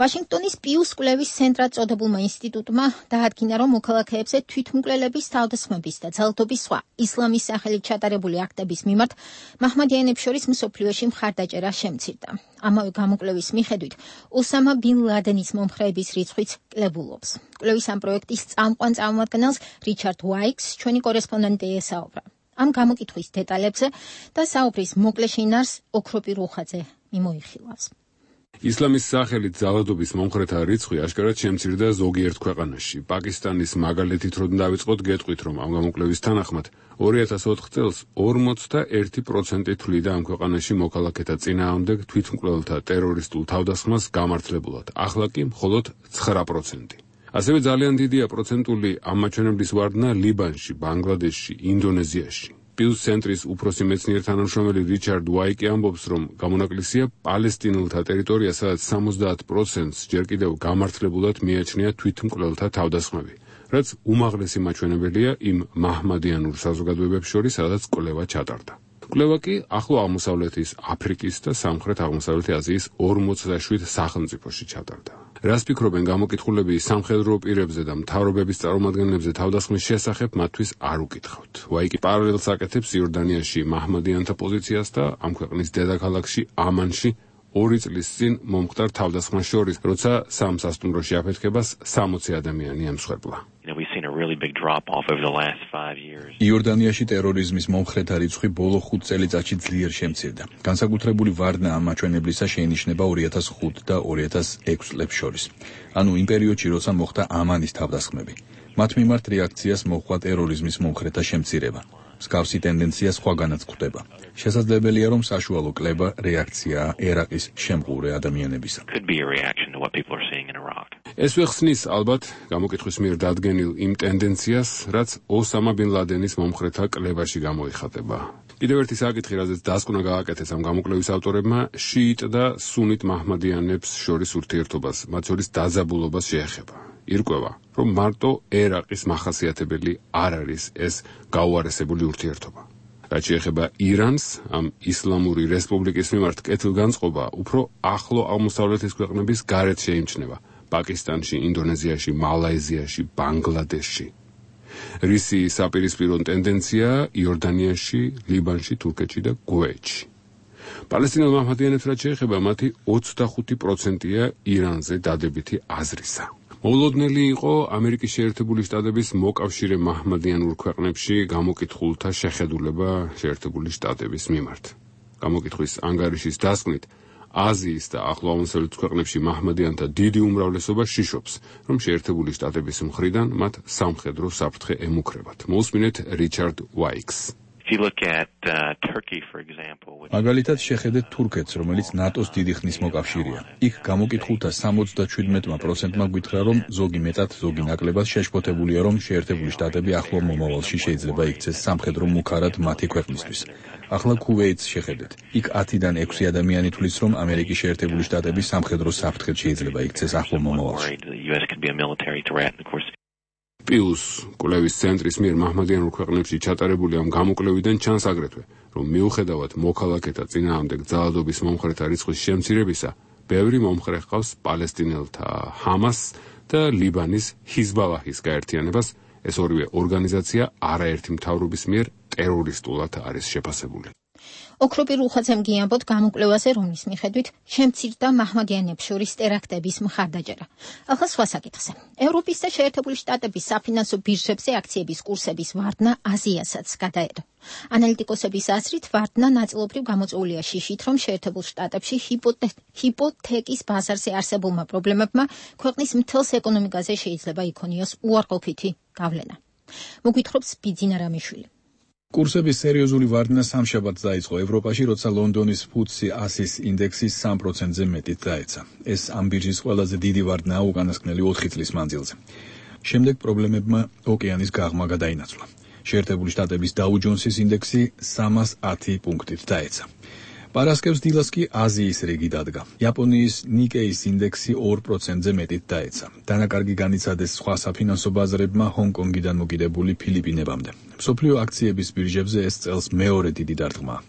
ვაშინგტონის პიუს კვლევის ცენტრად წოდებულმა ინსტიტუტმა დაადგინა, რომ მოქალაქეებზე თვითმკვლელების, თავდასხმების და ძალადობის სხვა ისლამის სახელით ჩატარებული აქტების მიმართ მაჰმადიანებს შორის მსოფლიოში მხარდაჭერა შემცირდა. ამავე გამოკვლევის მიხედვით, ოსამა ბინ ლადენის მომხრეების რიცხვიც კლებულობს. კვლევის ამ პროექტის წამყვან წარმომადგენელს რიჩარდ ვაიქს ჩვენი კორესპონდენტი ესაუბრა. ამ გამოკითხვის დეტალებზე და საუბრის მოკლე შინაარს ოქროპი რუხაძე მიმოიხილავს. ისლამის სახელით ძალადობის მომხრეთა რიცხვი აშკარად შემცირდა ზოგიერთ ქვეყანაში. პაკისტანის მაგალითით რომ დავიწყოთ, გეტყვით, რომ ამ გამოკვლევის თანახმად 2004 წელს 41% თვლიდა ამ ქვეყანაში მოქალაქეთა წინააღმდეგ თვითმკვლელთა ტერორისტულ თავდასხმას გამართლებულად. ახლა კი მხოლოდ 9%. ასევე ძალიან დიდია პროცენტული ამ მაჩვენებლის ვარდნა ლიბანში, ბანგლადეშში, ინდონეზიაში. პიუს ცენტრის უფროსი მეცნიერ თანამშრომელი რიჩარდ ვაიკი ამბობს, რომ გამონაკლისია პალესტინელთა ტერიტორია, სადაც 70%-ს ჯერ კიდევ გამართლებულად მიაჩნია თვითმკვლელთა თავდასხმები, რაც უმაღლესი მაჩვენებელია იმ მაჰმადიანურ საზოგადოებებს შორის, სადაც კვლევა ჩატარდა. კვლევა კი ახლო აღმოსავლეთის, აფრიკის და სამხრეთ აღმოსავლეთი აზიის 47 სახელმწიფოში ჩატარდა. რას ფიქრობენ გამოკითხულები სამხედრო პირებზე და მთავრობების წარმომადგენლებზე თავდასხმის შესახებ მათთვის არ უკითხავთ. ვაიკი პარალელს აკეთებს იორდანიაში მაჰმადიანთა პოზიციას და ამ ქვეყნის დედაქალაქში ამანში 2 წლის წინ მომხდარ თავდასხმას შორის, როცა სამ სასტუმროში აფეთქებას 60 ადამიანი ემსხვერპლა. იორდანიაში ტერორიზმის მომხრეთა რიცხვი ბოლო 5 წელიწადში ძლიერ შემცირდა. განსაკუთრებული ვარდნა ამ მაჩვენებლისა შეინიშნება 2005 და 2006 წლებს შორის. ანუ იმ პერიოდში, როცა მოხდა ამანის თავდასხმები. მათ მიმართ რეაქციას მოჰყვა ტერორიზმის მომხრეთა შემცირება. მსგავსი ტენდენცია სხვაგანაც გვხვდება. შესაძლებელია, რომ საშუალო კლება რეაქციაა ერაყის შემყურე ადამიანებისა. ეს ვეხსნის ალბათ გამოკითხვის მიერ დადგენილ იმ ტენდენციას, რაც ოსამა ბინ ლადენის მომხრეთა კლებაში გამოიხატება. კიდევ ერთი საკითხი, რაზეც დასკვნა გააკეთეს ამ გამოკვლევის ავტორებმა, შიიტ და სუნიტ მაჰმადიანებს შორის ურთიერთობას, მათ შორის დაძაბულობას შეეხება. ირკვევა, რომ მარტო ერაყის მახასიათებელი არ არის ეს გაუარესებული ურთიერთობა. რაც შეეხება ირანს, ამ ისლამური რესპუბლიკის მიმართ კეთილგანწყობა უფრო ახლო აღმოსავლეთის ქვეყნების გარეთ შეიმჩნევა. პაკისტანში, ინდონეზიაში, მალაიზიაში, ბანგლადეშში. რისი საპირისპირო ტენდენცია იორდანიაში, ლიბანში, თურქეთში და კუვეითში. პალესტინელ მაჰმადიანებს რაც შეეხება, მათი 25%-ია ირანზე დადებითი აზრისა. მოულოდნელი იყო ამერიკის შეერთებული შტატების მოკავშირე მაჰმადიანურ ქვეყნებში გამოკითხულთა შეხედულება შეერთებული შტატების მიმართ. გამოკითხვის ანგარიშის დასკვნით, აზიის და ახლო აღმოსავლეთის ქვეყნებში მაჰმადიანთა დიდი უმრავლესობა შიშობს, რომ შეერთებული შტატების მხრიდან მათ სამხედრო საფრთხე ემუქრებათ. მოусმინეთ რიჩარდ ვაიქს. მაგალითად შეხედეთ თურქეთს, რომელიც ნატოს დიდი ხნის მოკავშირეა. იქ გამოკითხულთა 77%-მა გითხრა, რომ ზოგი მეტად, ზოგი ნაკლებად შეშფოთებულია, რომ შეერთებული შტატები ახლო მომავალში შეიძლება იქცეს სამხედრო მუქარად მათი ქვეყნისთვის. ახლა კუვეითს შეხედეთ. იქ 10-დან 6 ადამიანი თვლის, რომ ამერიკის შეერთებული შტატები სამხედრო საფრთხედ შეიძლება იქცეს ახლო მომავალში. პიუს კვლევის ცენტრის მიერ მაჰმადიანურ ქვეყნებში ჩატარებული ამ გამოკვლევიდან ჩანს აგრეთვე, რომ მიუხედავად მოქალაქეთა წინააღმდეგ ძალადობის მომხრეთა რიცხვის შემცირებისა, ბევრი მომხრე ჰყავს პალესტინელთა ჰამას და ლიბანის ჰიზბალაჰის გაერთიანებას. ეს ორივე ორგანიზაცია არაერთი მთავრობის მიერ ტერორისტულად არის შეფასებული. ოქროპირ უხაცემ გიამბოთ გამოკვლევაზე, რომლის მიხედვით შემცირდა მაჰმადიანებს შორის ტერაქტების მხარდაჭერა. ახლა სხვა საკითხზე. ევროპის და შეერთებული შტატების საფინანსო ბირჟებზე აქციების კურსების ვარდნა აზიასაც გადაედო. ანალიტიკოსების აზრით, ვარდნა ნაწილობრივ გამოწვეულია შიშით, რომ შეერთებულ შტატებში ჰიპოთეკის ბაზარზე არსებულმა პრობლემებმა ქვეყნის მთელს ეკონომიკაზე შეიძლება იქონიოს უარყოფითი გავლენა. მოგვითხრობს ბიძინა რამიშვილი. კურსების სერიოზული ვარდნა სამშაბათს დაიწყო ევროპაში, როცა ლონდონის FTSE 100-ის ინდექსი 3%-ზე მეტით დაეცა. ეს ამ ბირჟის ყველაზე დიდი ვარდნაა უკანასკნელი 4 წლის მანძილზე. შემდეგ პრობლემებმა ოკეანის გაღმა გადაინაცვლა. შეერთებული შტატების დაუ ჯონსის ინდექსი 310 პუნქტით დაეცა. პარასკევს დილას კი აზიის რიგი დადგა. იაპონიის ნიკეის ინდექსი 2%-ზე მეტით დაეცა. დანაკარგი განიცადეს სხვა საფინანსო ბაზრებმა ჰონკონგიდან მოკიდებული ფილიპინებამდე. მსოფლიო აქციების ბირჟებზე ეს წელს მეორე დიდი დარტყმაა.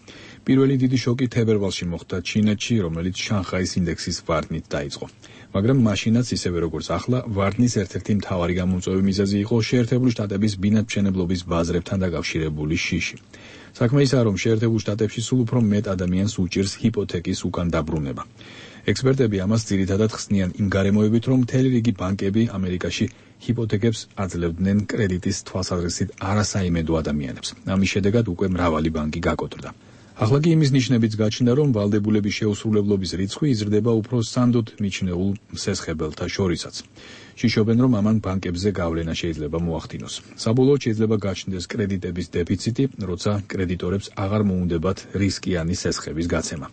პირველი დიდი შოკი თებერვალში მოხდა ჩინეთში, რომელიც შანხაის ინდექსის ვარდნით დაიწყო. მაგრამ მაშინაც ისევე როგორც ახლა, ვარდნის ერთ-ერთი მთავარი გამომწვევი მიზეზი იყო შეერთებული შტატების ბინადმშენებლობის ბაზრებთან დაკავშირებული შიში. საქმე ისაა, რომ შეერთებულ შტატებში სულ უფრო მეტ ადამიანს უჭირს ჰიპოთეკის უკან დაბრუნება. ექსპერტები ამას ძირითადად ხსნიან იმ გარემოებით, რომ მთელი რიგი ბანკები ამერიკაში ჰიპოთეკებს აძლევდნენ კრედიტის თვალსაზრისით არასაიმედო ადამიანებს. ამის შედეგად უკვე მრავალი ბანკი გაკოტრდა. ახლა კი იმის ნიშნებიც გაჩნდა, რომ ვალდებულების შეუსრულებლობის რიცხვი იზრდება უფრო სანდოდ მიჩნეულ მსესხებელთა შორისაც. შიშობენ, რომ ამან ბანკებზე გავლენა შეიძლება მოახდინოს. საბოლოოდ შეიძლება გაჩნდეს კრედიტების დეფიციტი, როცა კრედიტორებს აღარ მოუნდებათ რისკიანი სესხების გაცემა.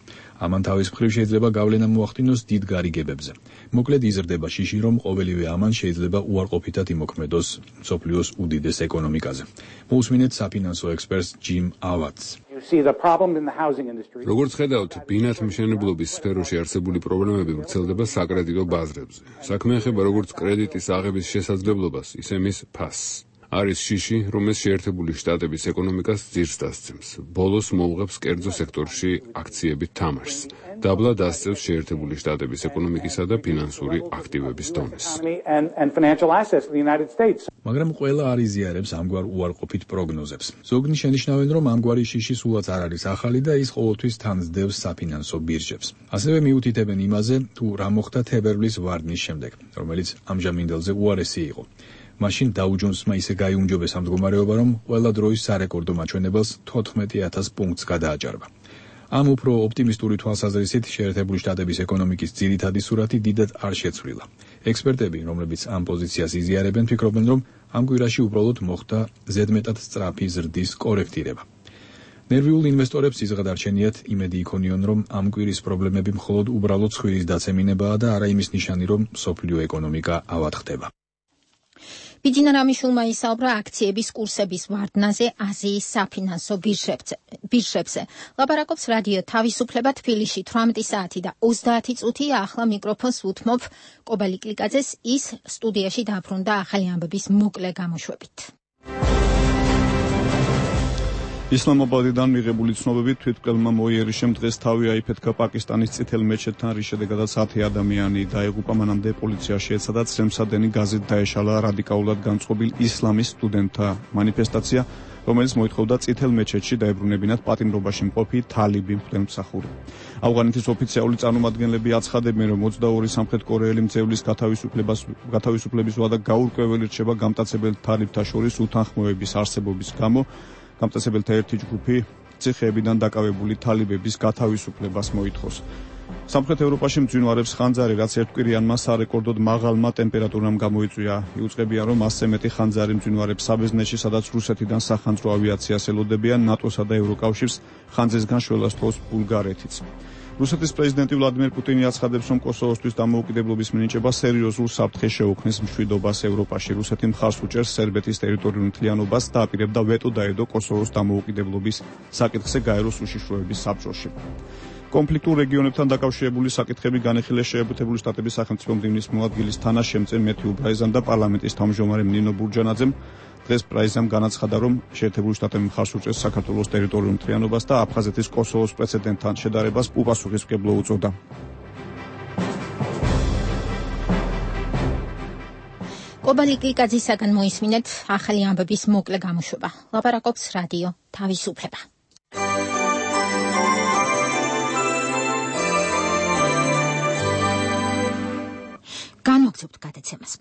ამან თავის მხრივ შეიძლება გავლენა მოახდინოს დიდ გარიგებებზე. მოკლედ იზრდება შიში, რომ ყოველივე ამან შეიძლება უარყოფითად იმოქმედოს მსოფლიოს უდიდეს ეკონომიკაზე. მოусმინეთ საფინანსო ექსპერტს ჯიმ ავატს. როგორც ხედავთ, ბინადმშენებლობის სფეროში არსებული პრობლემები ვრცელდება საკრედიტო ბაზრებზე. საქმე ეხება როგორც კრედიტის აღების შესაძლებლობას, ისე მის ფასს. არის შიში, რომელიც შეერთებული შტატების ეკონომიკას ძირს დასცემს. ბოლოს მოუღებს კერძო სექტორში აქციებით თამაშს. დაბლა დასწევს შეერთებული შტატების ეკონომიკისა და ფინანსური აქტივების დონეს. მაგრამ ყველა არ იზიარებს ამგვარ უარყოფით პროგნოზებს. ზოგნი შენიშნავენ, რომ ამგვარი შიში სულაც არ არის ახალი და ის ყოველთვის თან ძდევს საფინანსო ბირჟებს. ასევე მიუთითებენ იმაზე, თუ რა მოხდა თებერვლის ვარდნის შემდეგ, რომელიც ამჟამინდელზე უარესი იყო. მაშინ დაუ ჯონსმა ისე გაიუმჯობესა მდგომარეობა, რომ ყველა დროის სარეკორდო მაჩვენებელს 14,000 პუნქტს გადააჭარბა. ამ უფრო ოპტიმისტური თვალსაზრისით შეერთებული შტატების ეკონომიკის ძირითადი სურათი დიდად არ შეცვლილა. ექსპერტები, რომლებიც ამ პოზიციას იზიარებენ, ფიქრობენ, რომ ამ კვირაში უბრალოდ მოხდა ზედმეტად სწრაფი ზრდის კორექტირება. ნერვიულ ინვესტორებს იზღადარჩენიათ იმედი იქონიონ, რომ ამ კვირის პრობლემები მხოლოდ უბრალოდ ცხვირის დაცემინებაა და არა იმის ნიშანი, რომ მსოფლიო ეკონომიკა ავადხდება. ბიძინა რამიშულმა ისაუბრა აქციების კურსების ვარდნაზე აზიის საფინანსო ბირჟებზე. ლაპარაკობს რადიო თავისუფლება თბილისში 18 საათი და 30 წუთი. ახლა მიკროფონს უთმობ კობალი კლიკაძეს, ის სტუდიაში დაბრუნდა ახალი ამბების მოკლე გამოშვებით. ისლამაბადიდან მიღებული ცნობებით თვითმკვლელმა მოიერიშემ დღეს თავი აიფეთქა პაკისტანის წითელ მეჩეთთან, რის შედეგადაც 10 ადამიანი დაიღუპა. მანამდე პოლიციაში ეცადა წრემსადენი გაზით დაეშალა რადიკალურად განწყობილ ისლამის სტუდენტთა მანიფესტაცია, რომელიც მოითხოვდა წითელ მეჩეთში დაებრუნებინათ პატიმრობაში მყოფი თალიბი მღვდელმსახური. ავღანეთის ოფიციალური წარმომადგენლები აცხადებენ, რომ 22 სამხრეთკორეელი მძევლის გათავისუფლების ვადა გაურკვეველი რჩება გამტაცებელ თალიბთა შორის უთანხმოების არსებობის გამო. გამტაცებელთა ერთი ჯგუფი ციხეებიდან დაკავებული თალიბების გათავისუფლებას მოითხოვს. სამხრეთ ევროპაში მძვინვარებს ხანძარი, რაც ერთკვირიანმა სარეკორდოდ მაღალმა ტემპერატურამ გამოიწვია. იუწყებიან, რომ 100-ზე მეტი ხანძარი მძვინვარებს საბერძნეთში, სადაც რუსეთიდან სახანძრო ავიაციას ელოდებიან, ნატოსა და ევროკავშირს ხანძრისგან შველას თხოვს ბულგარეთიც. რუსეთის პრეზიდენტი ვლადიმერ პუტინი აცხადებს, რომ კოსოვოსთვის დამოუკიდებლობის მინიჭება სერიოზულ საფრთხეს შეუქმნის მშვიდობას ევროპაში. რუსეთი მხარს უჭერს სერბეთის ტერიტორიულ მთლიანობას და აპირებდა ვეტო დაედო კოსოვოს დამოუკიდებლობის საკითხზე გაეროს უშიშროების საბჭოში. კონფლიქტურ რეგიონებთან დაკავშირებული საკითხები განეხილეს შეერთებული შტატების სახელმწიფო მდივნის მოადგილის თანაშემწე მეთიუ ბრაიზამ და პარლამენტის თავმჯდომარემ ნინო ბურჯანაძემ. დღეს ბრაიზამ განაცხადა, რომ შეერთებული შტატები მხარს უჭერს საქართველოს ტერიტორიულ მთლიანობას და აფხაზეთის კოსოვოს პრეცედენტთან შედარებას უპასუხისმგებლო უწოდა. კობალი კლიკაძისაგან მოისმინეთ ახალი ამბების მოკლე გამოშვება. ლაპარაკობს რადიო თავისუფლება. განვაგრძობთ გადაცემას.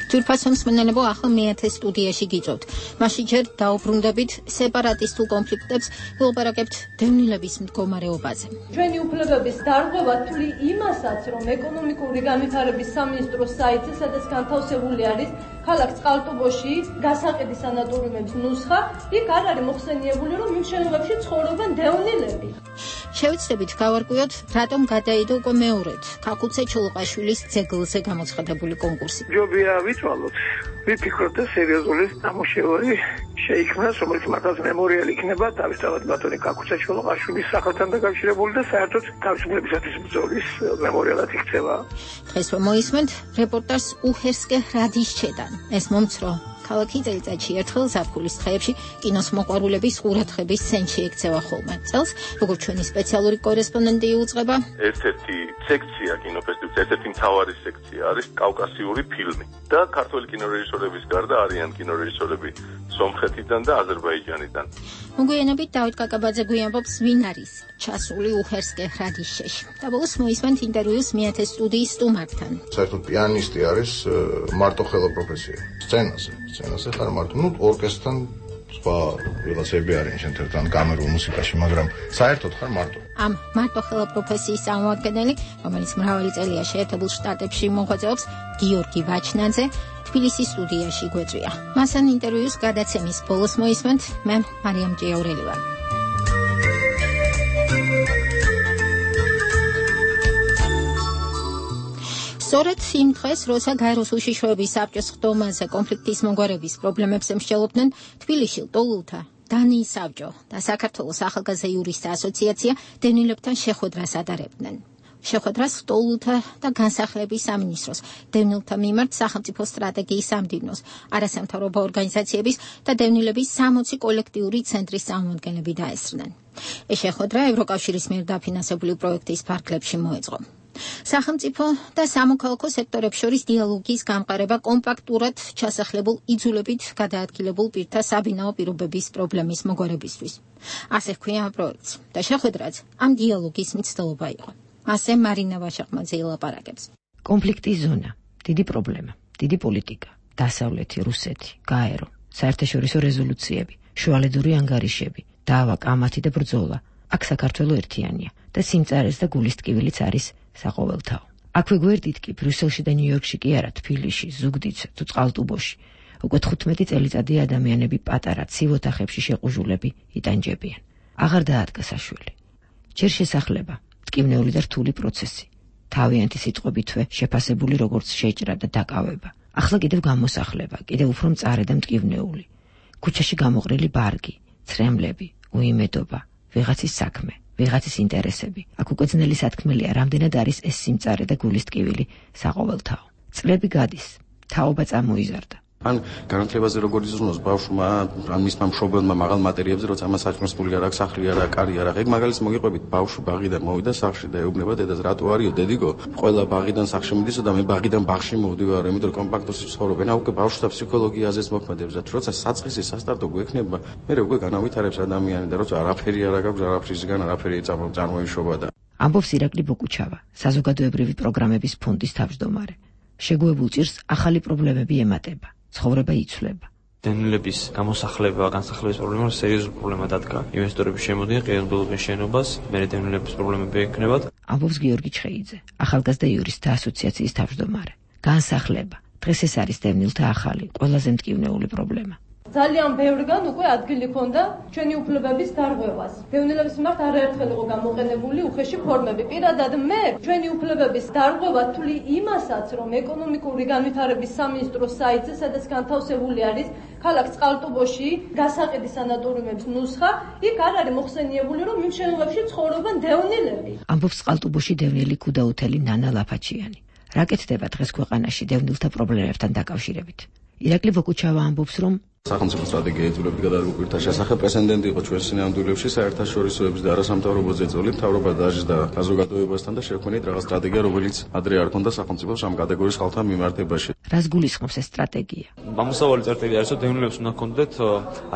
ჯურფასო მსმენელებო, ახლა მეათე სტუდიაში გიწევთ. მაშინ ჯერ დაუბრუნდებით სეპარატისტულ კონფლიქტებს, ვილაპარაკებთ დევნილების მდგომარეობაზე. ჩვენი უფლებების დარღვევა თვლი იმასაც, რომ ეკონომიკური განვითარების სამინისტროს საიტზე, სადაც განთავსებული არის ქალაქ წყალტუბოში გასაყიდი სანატორიუმების ნუსხა, იქ არ არის მოხსენიებული, რომ იმ შენობებში ცხოვრობენ დევნილები. შევიცდებით გავარკვიოთ, რატომ გადაიდო უკვე მეორედ ქაქუცე ჩოლოყაშვილის ძეგლზე გამოცხადებული კონკურსი. ჯობია ვიცვალოთ, ვიფიქროთ და სერიოზული ნამუშევარი შეიქმნას, რომელიც მართლაც მემორიალი იქნება თავისთავად ბატონი ქაქუცე ჩოლოყაშვილის სახელთან დაკავშირებული და საერთოდ თავისუფლებისათვის ბრძოლის მემორიალად იქცევა. დღესვე მოისმენთ რეპორტაჟს უჰერსკე რადიშჩედან. ეს მომცრო ქალაქი წელიწადში ერთხელ ზაფხულის დღეებში კინოს მოყვარულების ყურადღების ცენტრში ექცევა ხოლმე. წელს, როგორც ჩვენი სპეციალური კორესპონდენტი იუწყება, ერთ-ერთი სექცია კინოფესტივალის, ერთ-ერთი მთავარი სექცია არის კავკასიური ფილმი და ქართველი კინორეჟისორების გარდა არიან კინორეჟისორები სომხეთიდან და აზერბაიჯანიდან. მოგვიანებით დავით კაკაბაძე გვიამბობს, ვინ არის ჩასული უჰერსკე რადიშჩეში. და ბოლოს მოისმენთ ინტერვიუს მეათე სტუდიის სტუმართან. საერთოდ პიანისტი არის მარტო ხელა პროფესია. სცენაზე ხარ მარტო, ორკესტრთან სხვა რელაციები არიან შენთან კამერულ მუსიკაში, მაგრამ საერთოდ ხარ მარტო. ამ მარტო ხელა პროფესიის წარმომადგენელი, რომელიც მრავალი წელია შეერთებულ შტატებში მოღვაწეობს, გიორგი ვაჩნაძე, თბილისის სტუდიაში გვეწვია. მასთან ინტერვიუს გადაცემის ბოლოს მოისმენთ მე მარიამ ჭიაურელი ვარ. სწორედ იმ დღეს, როცა გაეროს უშიშროების საბჭოს ხდომაზე კონფლიქტის მოგვარების პრობლემებს ემსჯელობდნენ, თბილისში ლტოლულთა დანიის საბჭო და საქართველოს ახალგაზრდა იურისტთა ასოციაცია დევნილებთან შეხვედრას ატარებდნენ. შეხვედრას სტოლთა და განსახლების სამინისტროს, დევნილთა მიმართ სახელმწიფო სტრატეგიის სამდივნოს, არასამთავრობო ორგანიზაციების და დევნილების 60 კოლექტიური ცენტრის წარმომადგენლები დაესწრნენ. ეს შეხვედრა ევროკავშირის მიერ დაფინანსებული პროექტის ფარგლებში მოეწყო. სახელმწიფო და სამოქალაქო სექტორებს შორის დიალოგის გამყარება კომპაქტურად ჩასახლებულ იძულებით გადაადგილებულ პირთა საბინაო პირობების პრობლემის მოგვარებისთვის. ასე ჰქვია ამ პროექტს და შეხვედრაც ამ დიალოგის მცდელობა იყო. ასე მარინა ვაშაყმაძე ელაპარაკებს. კონფლიქტის ზონა, დიდი პრობლემა, დიდი პოლიტიკა, დასავლეთი, რუსეთი, გაერო, საერთაშორისო რეზოლუციები, შუალედური ანგარიშები, დავა, კამათი და ბრძოლა. აქ საქართველო ერთიანია და სიმწარეს და გულის ტკივილიც არის საყოველთაო. აქვე გვერდით კი ბრიუსელში და ნიუ-იორკში კი არა, თბილისში, ზუგდიდში თუ წყალტუბოში. უკვე 15 წელიწადი ადამიანები პატარა ცივ ოთახებში შეყუჟულები იტანჯებიან. აღარ დაადგა საშველი. ჯერ შესახლება, ტკივნეული და რთული პროცესი. თავიანთი სიტყვებითვე შეფასებული როგორც შეჭრა და დაკავება. ახლა კიდევ გამოსახლება, კიდევ უფრო მწარე და მტკივნეული. ქუჩაში გამოყრილი ბარგი, ცრემლები, უიმედობა, ვიღაცის საქმე, ვიღაცის ინტერესები. აქ უკვე ძნელი სათქმელია, რამდენად არის ეს სიმწარე და გულის ტკივილი საყოველთაო. წლები გადის, თაობა წამოიზარდა. ან განათლებაზე როგორ იზრუნოს ბავშვმა, ან მისმა მშობელმა მაღალ მატერიებზე, როცა ამას საჭმელს ფული არ აქვს, სახლი არ აქვს, კარი არ აქვს. ეგ მაგალითს მოგიყვებით, ბავშვი ბაღიდან მოვიდა სახლში და ეუბნება დედას, რატო არისო დედიგო? ყველა ბაღიდან სახლში მიდისო და მე ბაღიდან ბაღში მოვდივარ, იმიტომ რომ კომპაქტურში ცხოვრობენ. უკვე ბავშვთა ფსიქოლოგიაზეც მოქმედებს და როცა საწყისი სასტარტო გვექნება, მე უკვე განავითარებს ადამიანი და როცა არაფერი არ აქვს, არაფრისგან არაფერი წარმოიშობა და ამბობს ირაკლი ბოკუჩავა, საზოგადოებრივი პროგრამების ფონდის თავმჯდომარე. შეგუებულ ჭირს ახალი პრობლემები ემატება. ცხოვრება იცვლება. დევნილების გამოსახლება, განსახლების პრობლემა სერიოზული პრობლემა დადგა. ინვესტორები შემოდიან, ყიანდელობენ შენობას, მე დევნილების პრობლემები ექნებათ. ამბობს გიორგი ჩხეიძე, ახალგაზრდა იურისტთა ასოციაციის თავმჯდომარე. განსახლება. დღეს ეს არის დევნილთა ახალი, ყველაზე მტკივნეული პრობლემა. ძალიან ბევრგან უკვე ადგილი ჰქონდა ჩვენი უფლებების დარღვევას. დევნილების მიმართ არაერთხელ იყო გამოყენებული უხეში ფორმები. პირადად მე ჩვენი უფლებების დარღვევა თვლი იმასაც, რომ ეკონომიკური განვითარების სამინისტროს საიტზე, სადაც განთავსებული არის ქალაქ წყალტუბოში გასაყიდი სანატორიუმების ნუსხა, იქ არ არის მოხსენიებული, რომ იმ შენობებში ცხოვრობენ დევნილები. ამბობს წყალტუბოში დევნილი ქუდაუთელი ნანა ლაფაჩიანი. რა კეთდება დღეს ქვეყანაში დევნილთა პრობლემებთან დაკავშირებით? ირაკლი ბოკუჩავა ამბობს, რომ სახელმწიფო სტრატეგია იძულებით გადაადგილ პირთა შესახებ პრეცედენტი იყო ჩვენ სინამდვილეში საერთაშორისოების და არასამთავრობო ზეწოლი მთავრობა დაჟდა საზოგადოებასთან და შექმნით რაღაც სტრატეგია, რომელიც ადრე არ ქონდა სახელმწიფოს ამ კატეგორიის ხალხთან მიმართებაში. რას გულისხმობს ეს სტრატეგია? გამოსავალი წერტილი არის, რომ დევნილებს უნდა ჰქონდეთ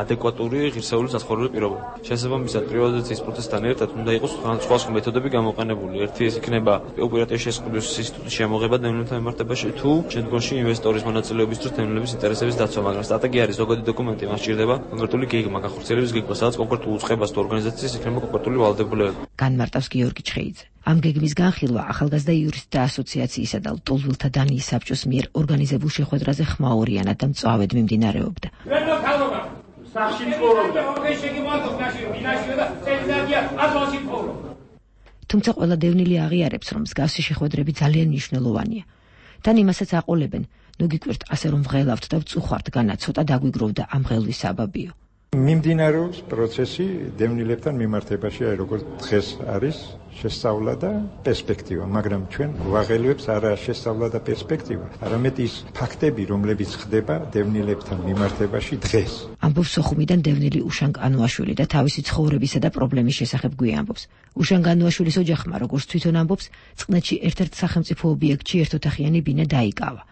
ადეკვატური ღირსეული საცხოვრებელი პირობები. შესაბამისად პრივატიზაციის პროცესთან ერთად უნდა იყოს სხვა მეთოდები გამოყენებული. ერთი ეს იქნება უპირატესობის შესყიდვის ინსტიტუტის შემოღება დევნილთა მიმართებაში თუ შემდგომში ინვესტორის მონაწილეობის დროს დევნილების ინტერესების დაცვა, მაგრამ სტრატეგია არის ზოგადი დოკუმენტი, მას სჭირდება კონკრეტული გეგმა, განხორციელების გეგმა, სადაც კონკრეტულ უწყებას თუ ორგანიზაციის იქნება კონკრეტული ვალდებულებები. განმარტავს გიორგი ჩხეიძე. ამ გეგმის განხილვა ახალგაზრდა იურისტთა ასოციაციისა და ლტოლვილთა დანიის საბჭოს მიერ ორგანიზებულ შეხვედრაზე ხმაურიანად და მწვავედ მიმდინარეობდა. თუმცა ყველა დევნილი აღიარებს, რომ მსგავსი შეხვედრები ძალიან მნიშვნელოვანია. თან იმასაც აყოლებენ, ნუ გიკვირთ ასე რომ ვღელავთ და ვწუხართ, განა ცოტა დაგვიგროვდა ამ ღელვის საბაბიო. მიმდინარეობს პროცესი დევნილებთან მიმართებაში, აი როგორც დღეს არის შესწავლა და პერსპექტივა, მაგრამ ჩვენ ვაღელვებს არა შესწავლა და პერსპექტივა, არამედ ის ფაქტები, რომლებიც ხდება დევნილებთან მიმართებაში დღეს. ამბობს სოხუმიდან დევნილი უშან კანუაშვილი და თავისი ცხოვრებისა და პრობლემის შესახებ გვიამბობს. უშან კანუაშვილის ოჯახმა, როგორც თვითონ ამბობს, წყნეთში ერთ-ერთ სახელმწიფო ობიექტში ერთოთახიანი ბინა დაიკავა.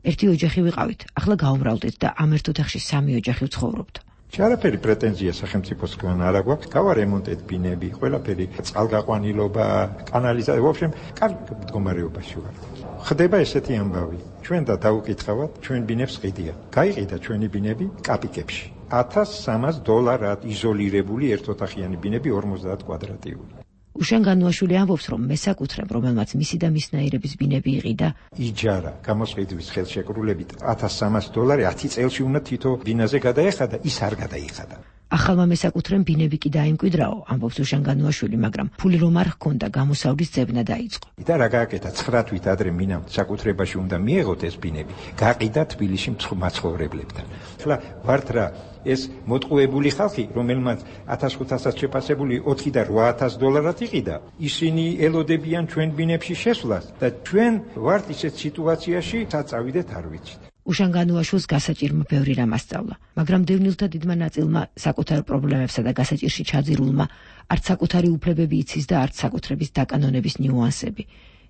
ერთი ოჯახი ვიყავით, ახლა გავუმრავლდით და ამ ერთ ოთახში სამი ოჯახი ვცხოვრობთ. არაფერი პრეტენზია სახელმწიფოსგან არ აქვს, გავარემონტეთ ბინები, ყველაფერი, წყალგაყვანილობა, კანალიზაცია, ვაფშემ, კარგ მდგომარეობაში ვარ. ხდება ესეთი ამბავი. ჩვენ და დაუკითხავთ, ჩვენ ბინებს ყიდიან. გაიყიდა ჩვენი ბინები კაპიკებში. $1,300 იზოლირებული ერთოთახიანი ბინები 50 კვადრატიული. უშან განუაშვილი ამბობს, რომ მესაკუთრემ, რომელმაც მისი და მისნაირების ბინები იყიდა, იჯარა გამოსყიდვის ხელშეკრულებით $1,300 10 წელში უნდა თითო ბინაზე გადაეხადა, ის არ გადაიხადა. ახალმა მესაკუთრემ ბინები კი დაიმკვიდრაო, ამბობს უშან განუაშვილი, მაგრამ ფული რომ არ ჰქონდა, გამოსავლის ძებნა დაიწყო. და რა გააკეთა 9 თვით ადრე მინამ საკუთრებაში უნდა მიეღოთ ეს ბინები, გაყიდა თბილისში მაცხოვრებლებთან. ახლა ვართ რა ეს მოტყუებული ხალხი, რომელმაც 1500-ად შეფასებული 4 და 8000 დოლარად იყიდა, ისინი ელოდებიან ჩვენ ბინებში შესვლას და ჩვენ ვართ ისეთ სიტუაციაში, საწავიდეთ არ ვიცით. უშან განუაშვილს გასაჭირმა ბევრი რამ ასწავლა, მაგრამ დევნილთა დიდმა ნაწილმა საკუთარ პრობლემებსა და გასაჭირში ჩაძირულმა არც საკუთარი უფლებები იცის და არც საკუთრების დაკანონების ნიუანსები.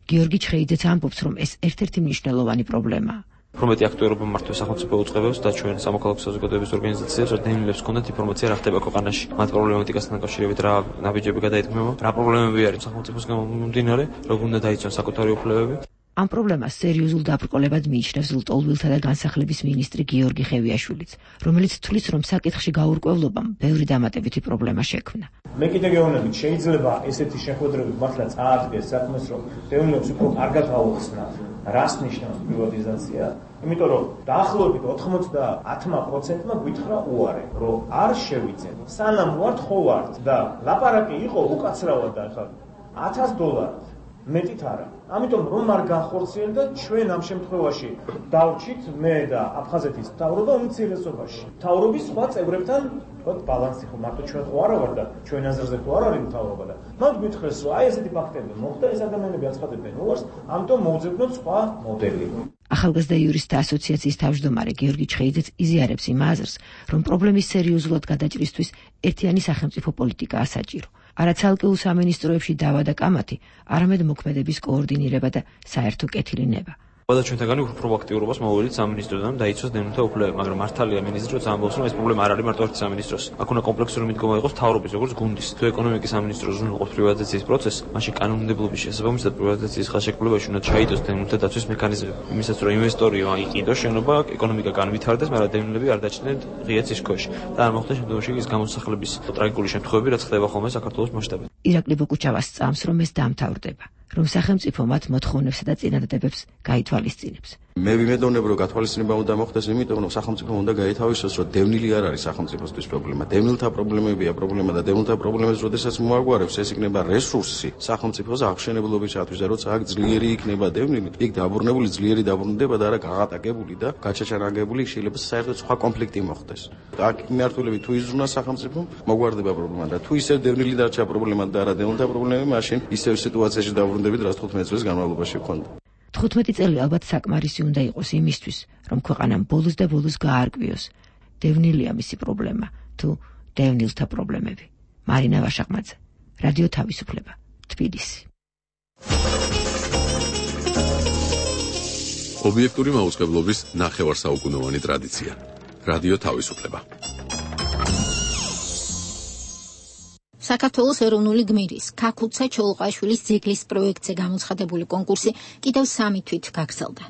გიორგი ჩხეიძეც ამბობს, რომ ეს ერთ-ერთი მნიშვნელოვანი პრობლემაა. პრომეტი აქტუერობა მართვე სახელმწიფო უწყებებს და ჩვენ სამოქალაქო საზოგადოების ორგანიზაციებს, რომ დევნილებს ჰქონდათ ინფორმაცია რა ხდება ქვეყანაში, მათ პრობლემატიკასთან დაკავშირებით რა ნაბიჯები გადაითქმება, რა პრობლემები არის სახელმწიფოს გამომდინარე, როგორ უნდა დაიცვან საკუთარი უფლებები. ამ პრობლემას სერიოზულ დაბრკოლებად მიიჩნევს ლტოლვილთა და განსახლების მინისტრი გიორგი ხევიაშვილიც, რომელიც თვლის, რომ საკითხში გაურკვევლობამ ბევრი დამატებითი პრობლემა შექმნა. მე კიდე გეუბნებით, შეიძლება ესეთი შეხვედრები მართლა წაადგეს საქმეს, რომ დევნილებს უფრო კარგად აუხსნათ, რას ნიშნავს პრივატიზაცია, იმიტომ რომ დაახლოებით 90%-მა გვითხრა უარე, რომ არ შევიძენ. სანამ ვართ ხო ვართ და ლაპარაკი იყო უკაცრავად და ახლა $1000 მეტით არა. ამიტომ რომ არ განხორციელდა და ჩვენ ამ შემთხვევაში დავრჩით მე და აფხაზეთის მთავრობა უმცირესობაში. მთავრობის სხვა წევრებთან ვთქვათ ბალანსი ხო მარტო ჩვენ ხო არა ვარ და ჩვენ აზრზე ხო არ არის მთავრობა და მათ გითხრეს რომ აი ესეთი ფაქტები მოხდა, ეს ადამიანები აცხადებენ უარს, ამიტომ მოვძებნოთ სხვა მოდელი. ახალგაზრდა იურისტთა ასოციაციის თავმჯდომარე გიორგი ჩხეიძეც იზიარებს იმ აზრს, რომ პრობლემის სერიოზულად გადაჭრისთვის ერთიანი სახელმწიფო პოლიტიკაა საჭირო. არა ცალკეულ სამინისტროებში დავა და კამათი, არამედ მოქმედების კოორდინირება და საერთო კეთილინება. და ჩვენთაგანი უფრო პროაქტიურობას მოვიდით სამინისტროდან დაიცვას დევნილთა უფლებები, მაგრამ მართალია მინისტრი როცა ამბობს, რომ ეს პრობლემა არ არის მარტო ერთ სამინისტროს. აქ უნდა კომპლექსური მიდგომა იყოს მთავრობის, როგორც გუნდის. თუ ეკონომიკის სამინისტროს უნდა იყოს პრივატიზაციის პროცესი, მაშინ კანონმდებლობის შესაბამისად პრივატიზაციის ხელშეკრულებაში უნდა ჩაიდოს დევნილთა დაცვის მექანიზმი. იმისაც რომ ინვესტორი აიყიდოს შენობა, ეკონომიკა განვითარდეს, მაგრამ დევნილები არ დაჩნდნენ ღია ცის ქვეშ. და არ მოხდეს შემდგომში ის გამოსახლების ტრაგიკული შემთხვევები, რაც ხდება ხოლმე საქართველოს მასშტაბით. ირაკლი ბოკუჩავა სწამს, რომ ეს დამთავრდება, რომ სახელმწიფო მათ მოთხოვნებსა და წინადადებებს გაითვალისწინებს. მე ვიმედოვნებ, რომ გათვალისწინება უნდა მოხდეს, იმიტომ რომ სახელმწიფო უნდა გაითავისოს, რომ დევნილი არ არის სახელმწიფოსთვის პრობლემა. დევნილთა პრობლემებია პრობლემა და დევნილთა პრობლემებს როდესაც მოაგვარებს, ეს იქნება რესურსი სახელმწიფოს აღმშენებლობისათვის და როცა აქ ძლიერი იქნება დევნილი, იქ დაბრუნებული ძლიერი დაბრუნდება და არა გაღატაკებული და გაჩაჩანაგებული, შეიძლება საერთოდ სხვა კონფლიქტი მოხდეს. აქ მიმართულებით თუ იზრუნოს სახელმწიფო, მოგვარდება პრობლემა და თუ ისევ დევნილი დარჩა პრობლემა და არა დევნილთა პრობლემები, მაშინ ისევ სიტუაციაში დაბრუნდებით, რაც 15 წლის განმავლობაში ჰქონდა. 15 წელი ალბათ საკმარისი უნდა იყოს იმისთვის, რომ ქვეყანამ ბოლოს და ბოლოს გაარკვიოს, დევნილია მისი პრობლემა თუ დევნილთა პრობლემები. მარინა ვაშაყმაძე, რადიო თავისუფლება, თბილისი. ობიექტური მაუწყებლობის ნახევარსაუკუნოვანი ტრადიცია. რადიო თავისუფლება. საქართველოს ეროვნული გმირის ქაქუცა ჩოლოყაშვილის ძეგლის პროექტზე გამოცხადებული კონკურსი კიდევ 3 თვით გაგრძელდა.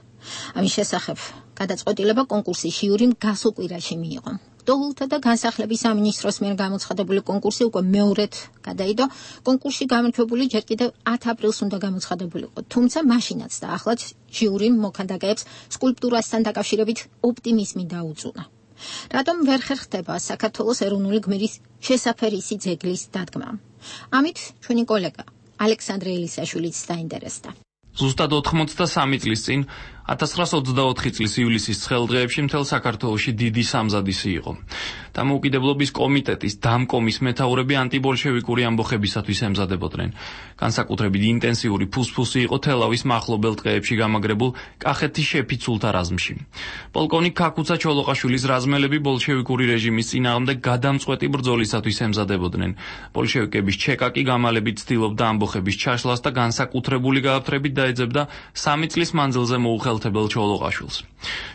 ამის შესახებ გადაწყვეტილება კონკურსის ჟიურიმ გასულ კვირაში მიიღო. ლტოლვილთა და განსახლების სამინისტროს მიერ გამოცხადებული კონკურსი უკვე მეორედ გადაიდო. კონკურსში გამარჯვებული ჯერ კიდევ 10 აპრილს უნდა გამოცხადებულიყო, თუმცა მაშინაც და ახლაც ჟიურიმ მოქანდაკეებს სკულპტურასთან დაკავშირებით ოპტიმიზმი დაუწუნა. რატომ ვერ ხერხდება საქართველოს ეროვნული გმირის შესაფერისი ძეგლის დადგმა? ამით ჩვენი კოლეგა ალექსანდრე ელისაშვილიც დაინტერესდა. ზუსტად 83 წლის წინ 1924 წლის ივლისის ცხელდღეებში მთელ საქართველოში დიდი სამზადისი იყო. დამოუკიდებლობის კომიტეტის დამკომის მეთაურები ანტიბოლშევიკური ამბოხებისათვის ემზადებოდნენ. განსაკუთრებით ინტენსიური ფუსფუსი იყო თელავის მახლობელ ტყეებში გამაგრებულ კახეთის შეფიცულთა რაზმში. პოლკოვნიკ ქაქუცა ჩოლოყაშვილის რაზმელები ბოლშევიკური რეჟიმის წინააღმდეგ გადამწყვეტი ბრძოლისათვის ემზადებოდნენ. ბოლშევიკების ჩეკაკი გამალებით ცდილობდა ამბოხების ჩაშლას და განსაკუთრებული გააფთრებით დაეძებდა 3 წლის მანძილზე მოუხელთებელ ჩოლოყაშვილს.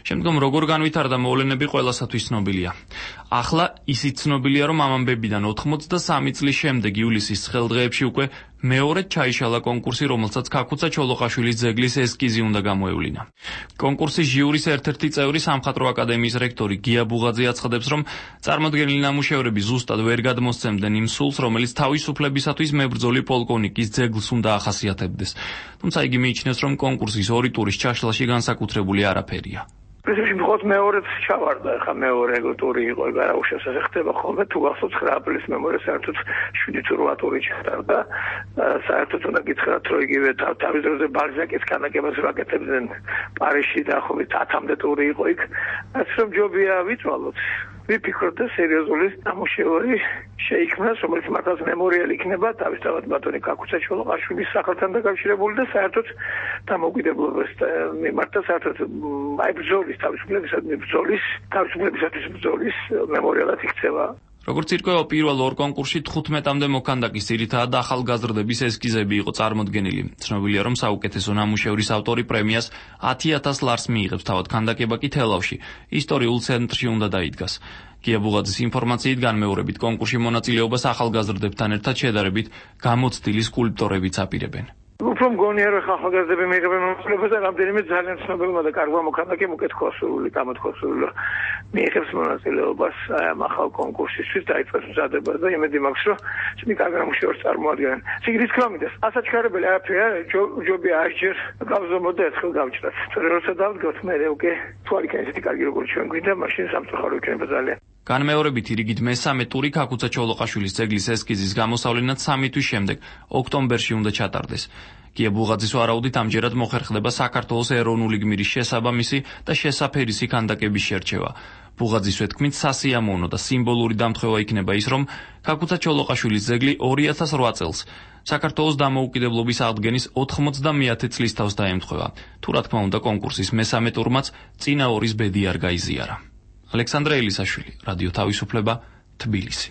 შემდგომ როგორ განვითარდა მოვლენები ყველასათვის ცნობილია. ახლა ისიც ცნობილია, რომ ამ ამბებიდან 83 წლის შემდეგ ივლისის ცხელდღეებში უკვე მეორედ ჩაიშალა კონკურსი, რომელსაც ქაქუცა ჩოლოყაშვილის ძეგლის ესკიზი უნდა გამოევლინა. კონკურსის ჟიურის ერთ-ერთი წევრი სამხატვრო აკადემიის რექტორი გია ბუღაძე აცხადებს, რომ წარმოდგენილი ნამუშევრები ზუსტად ვერ გადმოსცემდნენ იმ სულს, რომელიც თავისუფლებისათვის მებრძოლი პოლკოვნიკის ძეგლს უნდა ახასიათებდეს. თუმცა იგი მიიჩნევს, რომ კონკურსის 2 ტურის ჩაშლაში განსაკუთრებული არაფერია. პრინციპში მხოლოდ მეორეც ჩავარდა, ხა მეორე ტური იყო, გარაუშავს ასე ხდება ხოლმე, თუ გახსოვთ 9 აპრილის მემორია საერთოდ 7 თუ 8 ტური ჩატარდა. საერთოდ უნდა გითხრათ, რომ იგივე თავის დროზე ბალზაკის ქანდაკებას ვაკეთებდნენ პარიზში და ხობით 10-მდე ტური იყო იქ. ასე რომ ჯობია ვიწვალოთ. ვიფიქროთ და სერიოზული ნამუშევარი შეიქმნას, რომელიც მართლაც მემორიალი იქნება თავისთავად ბატონი კაკუცა ჩოლოყაშვილის სახელთან დაკავშირებული და საერთოდ დამოუკიდებლობას მიმართა საერთოდ ბრძოლის თავისუფლებისათვის ბრძოლის მემორიალად იქცევა. როგორც ირკვევა, პირველ ორ კონკურსში 15-მდე მოქანდაკის ძირითადად ახალგაზრდების ესკიზები იყო წარმოდგენილი. ცნობილია, რომ საუკეთესო ნამუშევრის ავტორი პრემიას 10,000 ლარს მიიღებს, თავად ქანდაკება კი თელავში, ისტორიულ ცენტრში უნდა დაიდგას. გია ბუღაძის ინფორმაციით განმეორებით კონკურსში მონაწილეობას ახალგაზრდებთან ერთად შედარებით გამოცდილი სკულპტორებიც აპირებენ. უფრო მგონია, რომ ახალგაზრდები მიიღებენ მონაწილეობას და რამდენიმე ძალიან ცნობილმა და კარგმა მოქანდაკემ უკეთქოსურული, გამოთქოსურული მიიღებს მონაწილეობას ამ ახალ კონკურსისთვის დაიწყეს მზადება და იმედი მაქვს, რომ ისინი კარგ ნამუშევრს წარმოადგენენ. სიგრძის თქმა მინდა, ასაჩქარებელი არაფერია, ჯობია ასჯერ გავზომოთ და ერთხელ გავჭრათ. როცა დავდგოთ, მე უკვე თუ არ იქნება ისეთი კარგი როგორც ჩვენ გვინდა, მაშინ სამწუხარო იქნება ძალიან. განმეორებით რიგით მესამე ტური კაკუცა ჩოლოყაშვილის ძეგლის ესკიზის გამოსავლენად 3 თვის შემდეგ, ოქტომბერში უნდა ჩატარდეს. გია ბუღაძის ვარაუდით ამჯერად მოხერხდება საქართველოს ეროვნული გმირის შესაბამისი და შესაფერისი ქანდაკების შერჩევა. ბუღაძის ვეთქმით, სასიამოვნო და სიმბოლური დამთხევა იქნება ის, რომ კაკუცა ჩოლოყაშვილის ძეგლი 2008 წელს საქართველოს დამოუკიდებლობის აღდგენის 90-მეათე წლის თავს დაემთხვევა. თუ რა თქმა უნდა, კონკურსის მესამე ტურმაც წინა ორის ბედი არ გაიზიარა. ალექსანდრე ელისაშვილი, რადიო თავისუფლება, თბილისი.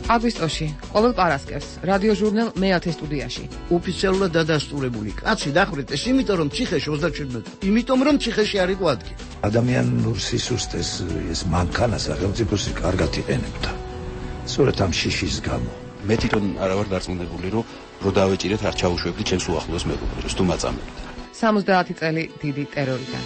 აგვისტოში, ყოველ პარასკევს, რადიო ჟურნალ მე-10 სტუდიაში. ოფიციალურად დადასტურებული კაცი დახრიტეს, იმიტომ რომ ციხეში 37, იმიტომ რომ ციხეში არ იყო ადგილი. ადამიანურ სისუსტეს ეს მანქანა სახელმწიფოსი კარგად იყენებდა. სწორედ ამ შიშის გამო. მე თვითონ არა ვარ დარწმუნებული, რომ დავეჭირეთ არ ჩაუშვებდი ჩემს უახლოეს მეგობრებს, თუ მაწამებთ. 70 წელი დიდი ტერორიდან.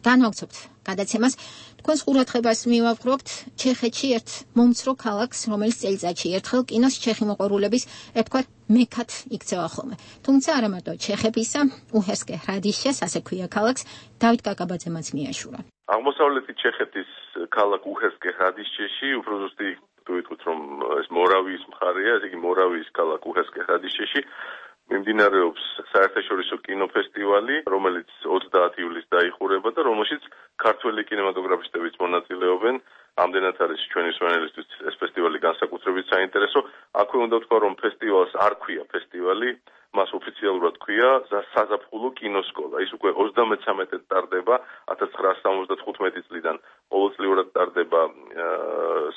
განვაგრძობთ გადაცემას. თქვენს ყურადღებას მივაყრობთ ჩეხეთში ერთ მომცრო ქალაქს, რომელიც წელიწადში ერთხელ კინოს ჩეხი მოყვარულების ერთგვარ მეკად იქცევა ხოლმე. თუმცა არა მარტო ჩეხებისა, უჰესკე ჰრადიშეს, ასე ქვია ქალაქს, დავით კაკაბაძემაც მიაშურა. აღმოსავლეთი ჩეხეთის ქალაქ უჰესკე ჰრადიშეში, უფრო ზუსტი თუ ვიტყვით, რომ ეს მორავიის მხარეა, ესე იგი მორავიის ქალაქ უჰესკე ჰრადიშეში მიმდინარეობს საერთაშორისო კინოფესტივალი, რომელიც 30 ივლისს დაიხურება და რომელშიც ქართველი კინემატოგრაფისტებიც მონაწილეობენ. ამდენად არის ჩვენი მსმენელისთვის ეს ფესტივალი განსაკუთრებით საინტერესო. აქვე უნდა ვთქვა, რომ ფესტივალს არ ქვია ფესტივალი, მას ოფიციალურად ქვია საზაფხულო კინოსკოლა. ის უკვე 33-ად ტარდება, 1975 წლიდან ყოველწლიურად ტარდება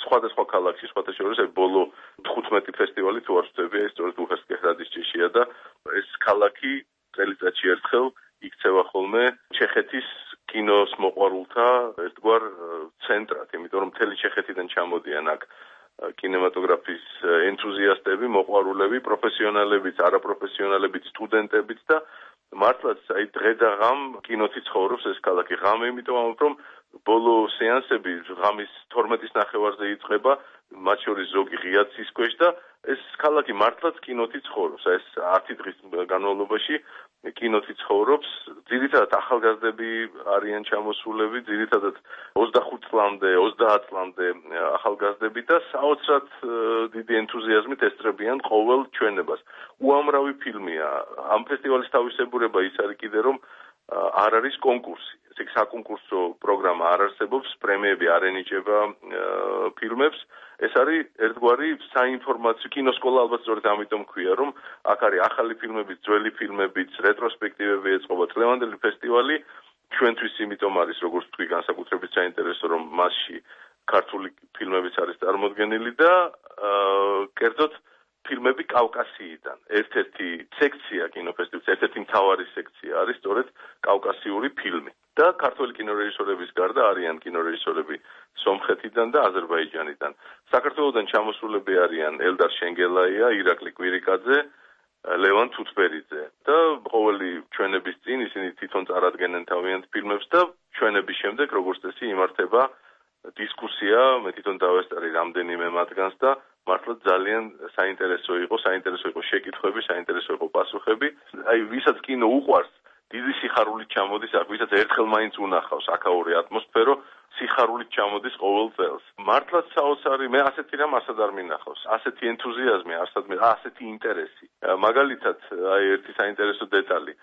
სხვადასხვა ქალაქში, სხვათა შორის ბოლო 15 ფესტივალი თუ არ ვწდები, ეს სწორედ უჰესკე ჰრადიშეშია და ეს ქალაქი წელიწადში ერთხელ იქცევა ხოლმე ჩეხეთის კინოს მოყვარულთა ერთგვარ ცენტრად, იმიტომ რომ მთელი ჩეხეთიდან ჩამოდიან აქ კინემატოგრაფის ენთუზიასტები, მოყვარულები, პროფესიონალებიც, არაპროფესიონალებიც, სტუდენტებიც და მართლაც აი დღე და ღამ კინოთი ცხოვრობს ეს ქალაქი. ღამე იმიტომ რომ ბოლო სეანსები ღამის 12-ის ნახევარზე იწყება, მათ შორის ზოგი ღიად სისქვეშ და ეს ქალაქი მართლაც კინოთი ცხოვრობს. ეს 10 დღის განმავლობაში კინოთი ცხოვრობს. ძირითადად ახალგაზრდები არიან ჩამოსულები, ძირითადად 25 წლამდე, 30 წლამდე ახალგაზრდები და საოცრად დიდი ენთუზიაზმით ესწრებიან ყოველ ჩვენებას. უამრავი ფილმია. ამ ფესტივალის თავისებურება ის არის კიდე რომ არ არის კონკურსი. ესე იგი საკონკურსო პროგრამა არ არსებობს, პრემიები არ ენიჭება ფილმებს. ეს არის ერთგვარი საინფორმაციო კინოსკოლა, ალბათ სწორედ ამიტომ ქვია, რომ აქ არის ახალი ფილმებიც, ძველი ფილმებიც, რეტროსპექტივები ეწყობა. დღევანდელი ფესტივალი ჩვენთვის იმიტომ არის, როგორც თქვი, განსაკუთრებით საინტერესო, რომ მასში ქართული ფილმებიც არის წარმოდგენილი და კერძოდ ფილმები კავკასიიდან. ერთ-ერთი სექცია კინოფესტივალის, ერთ-ერთი მთავარი სექცია არის სწორედ კავკასიური ფილმი. და ქართველი კინორეჟისორების გარდა არიან კინორეჟისორები სომხეთიდან და აზერბაიჯანიდან. საქართველოსდან ჩამოსულები არიან ელდარ შენგელაია, ირაკლი კვირიკაძე, ლევან თუთბერიძე და ყოველი ჩვენების წინ ისინი თვითონ წარადგენენ თავიანთ ფილმებს და ჩვენების შემდეგ როგორც წესი იმართება დისკუსია, მე თვითონ დავესწარი რამდენიმე მათგანს და მართლა ძალიან საინტერესო იყო შეკითხვები, საინტერესო იყო პასუხები. აი, ვისაც კინო უყვარს, დიდი სიხარულით ჩამოდის, ვისაც ერთხელ მაინც უნახავს აქაური ატმოსფერო, სიხარულით ჩამოდის ყოველ წელს. მართლაც საოცარი, მე ასეთი რამ ასად არ მინახავს. ასეთი ენთუზიაზმი, ასეთი ინტერესი. მაგალითად, აი ერთი საინტერესო დეტალი.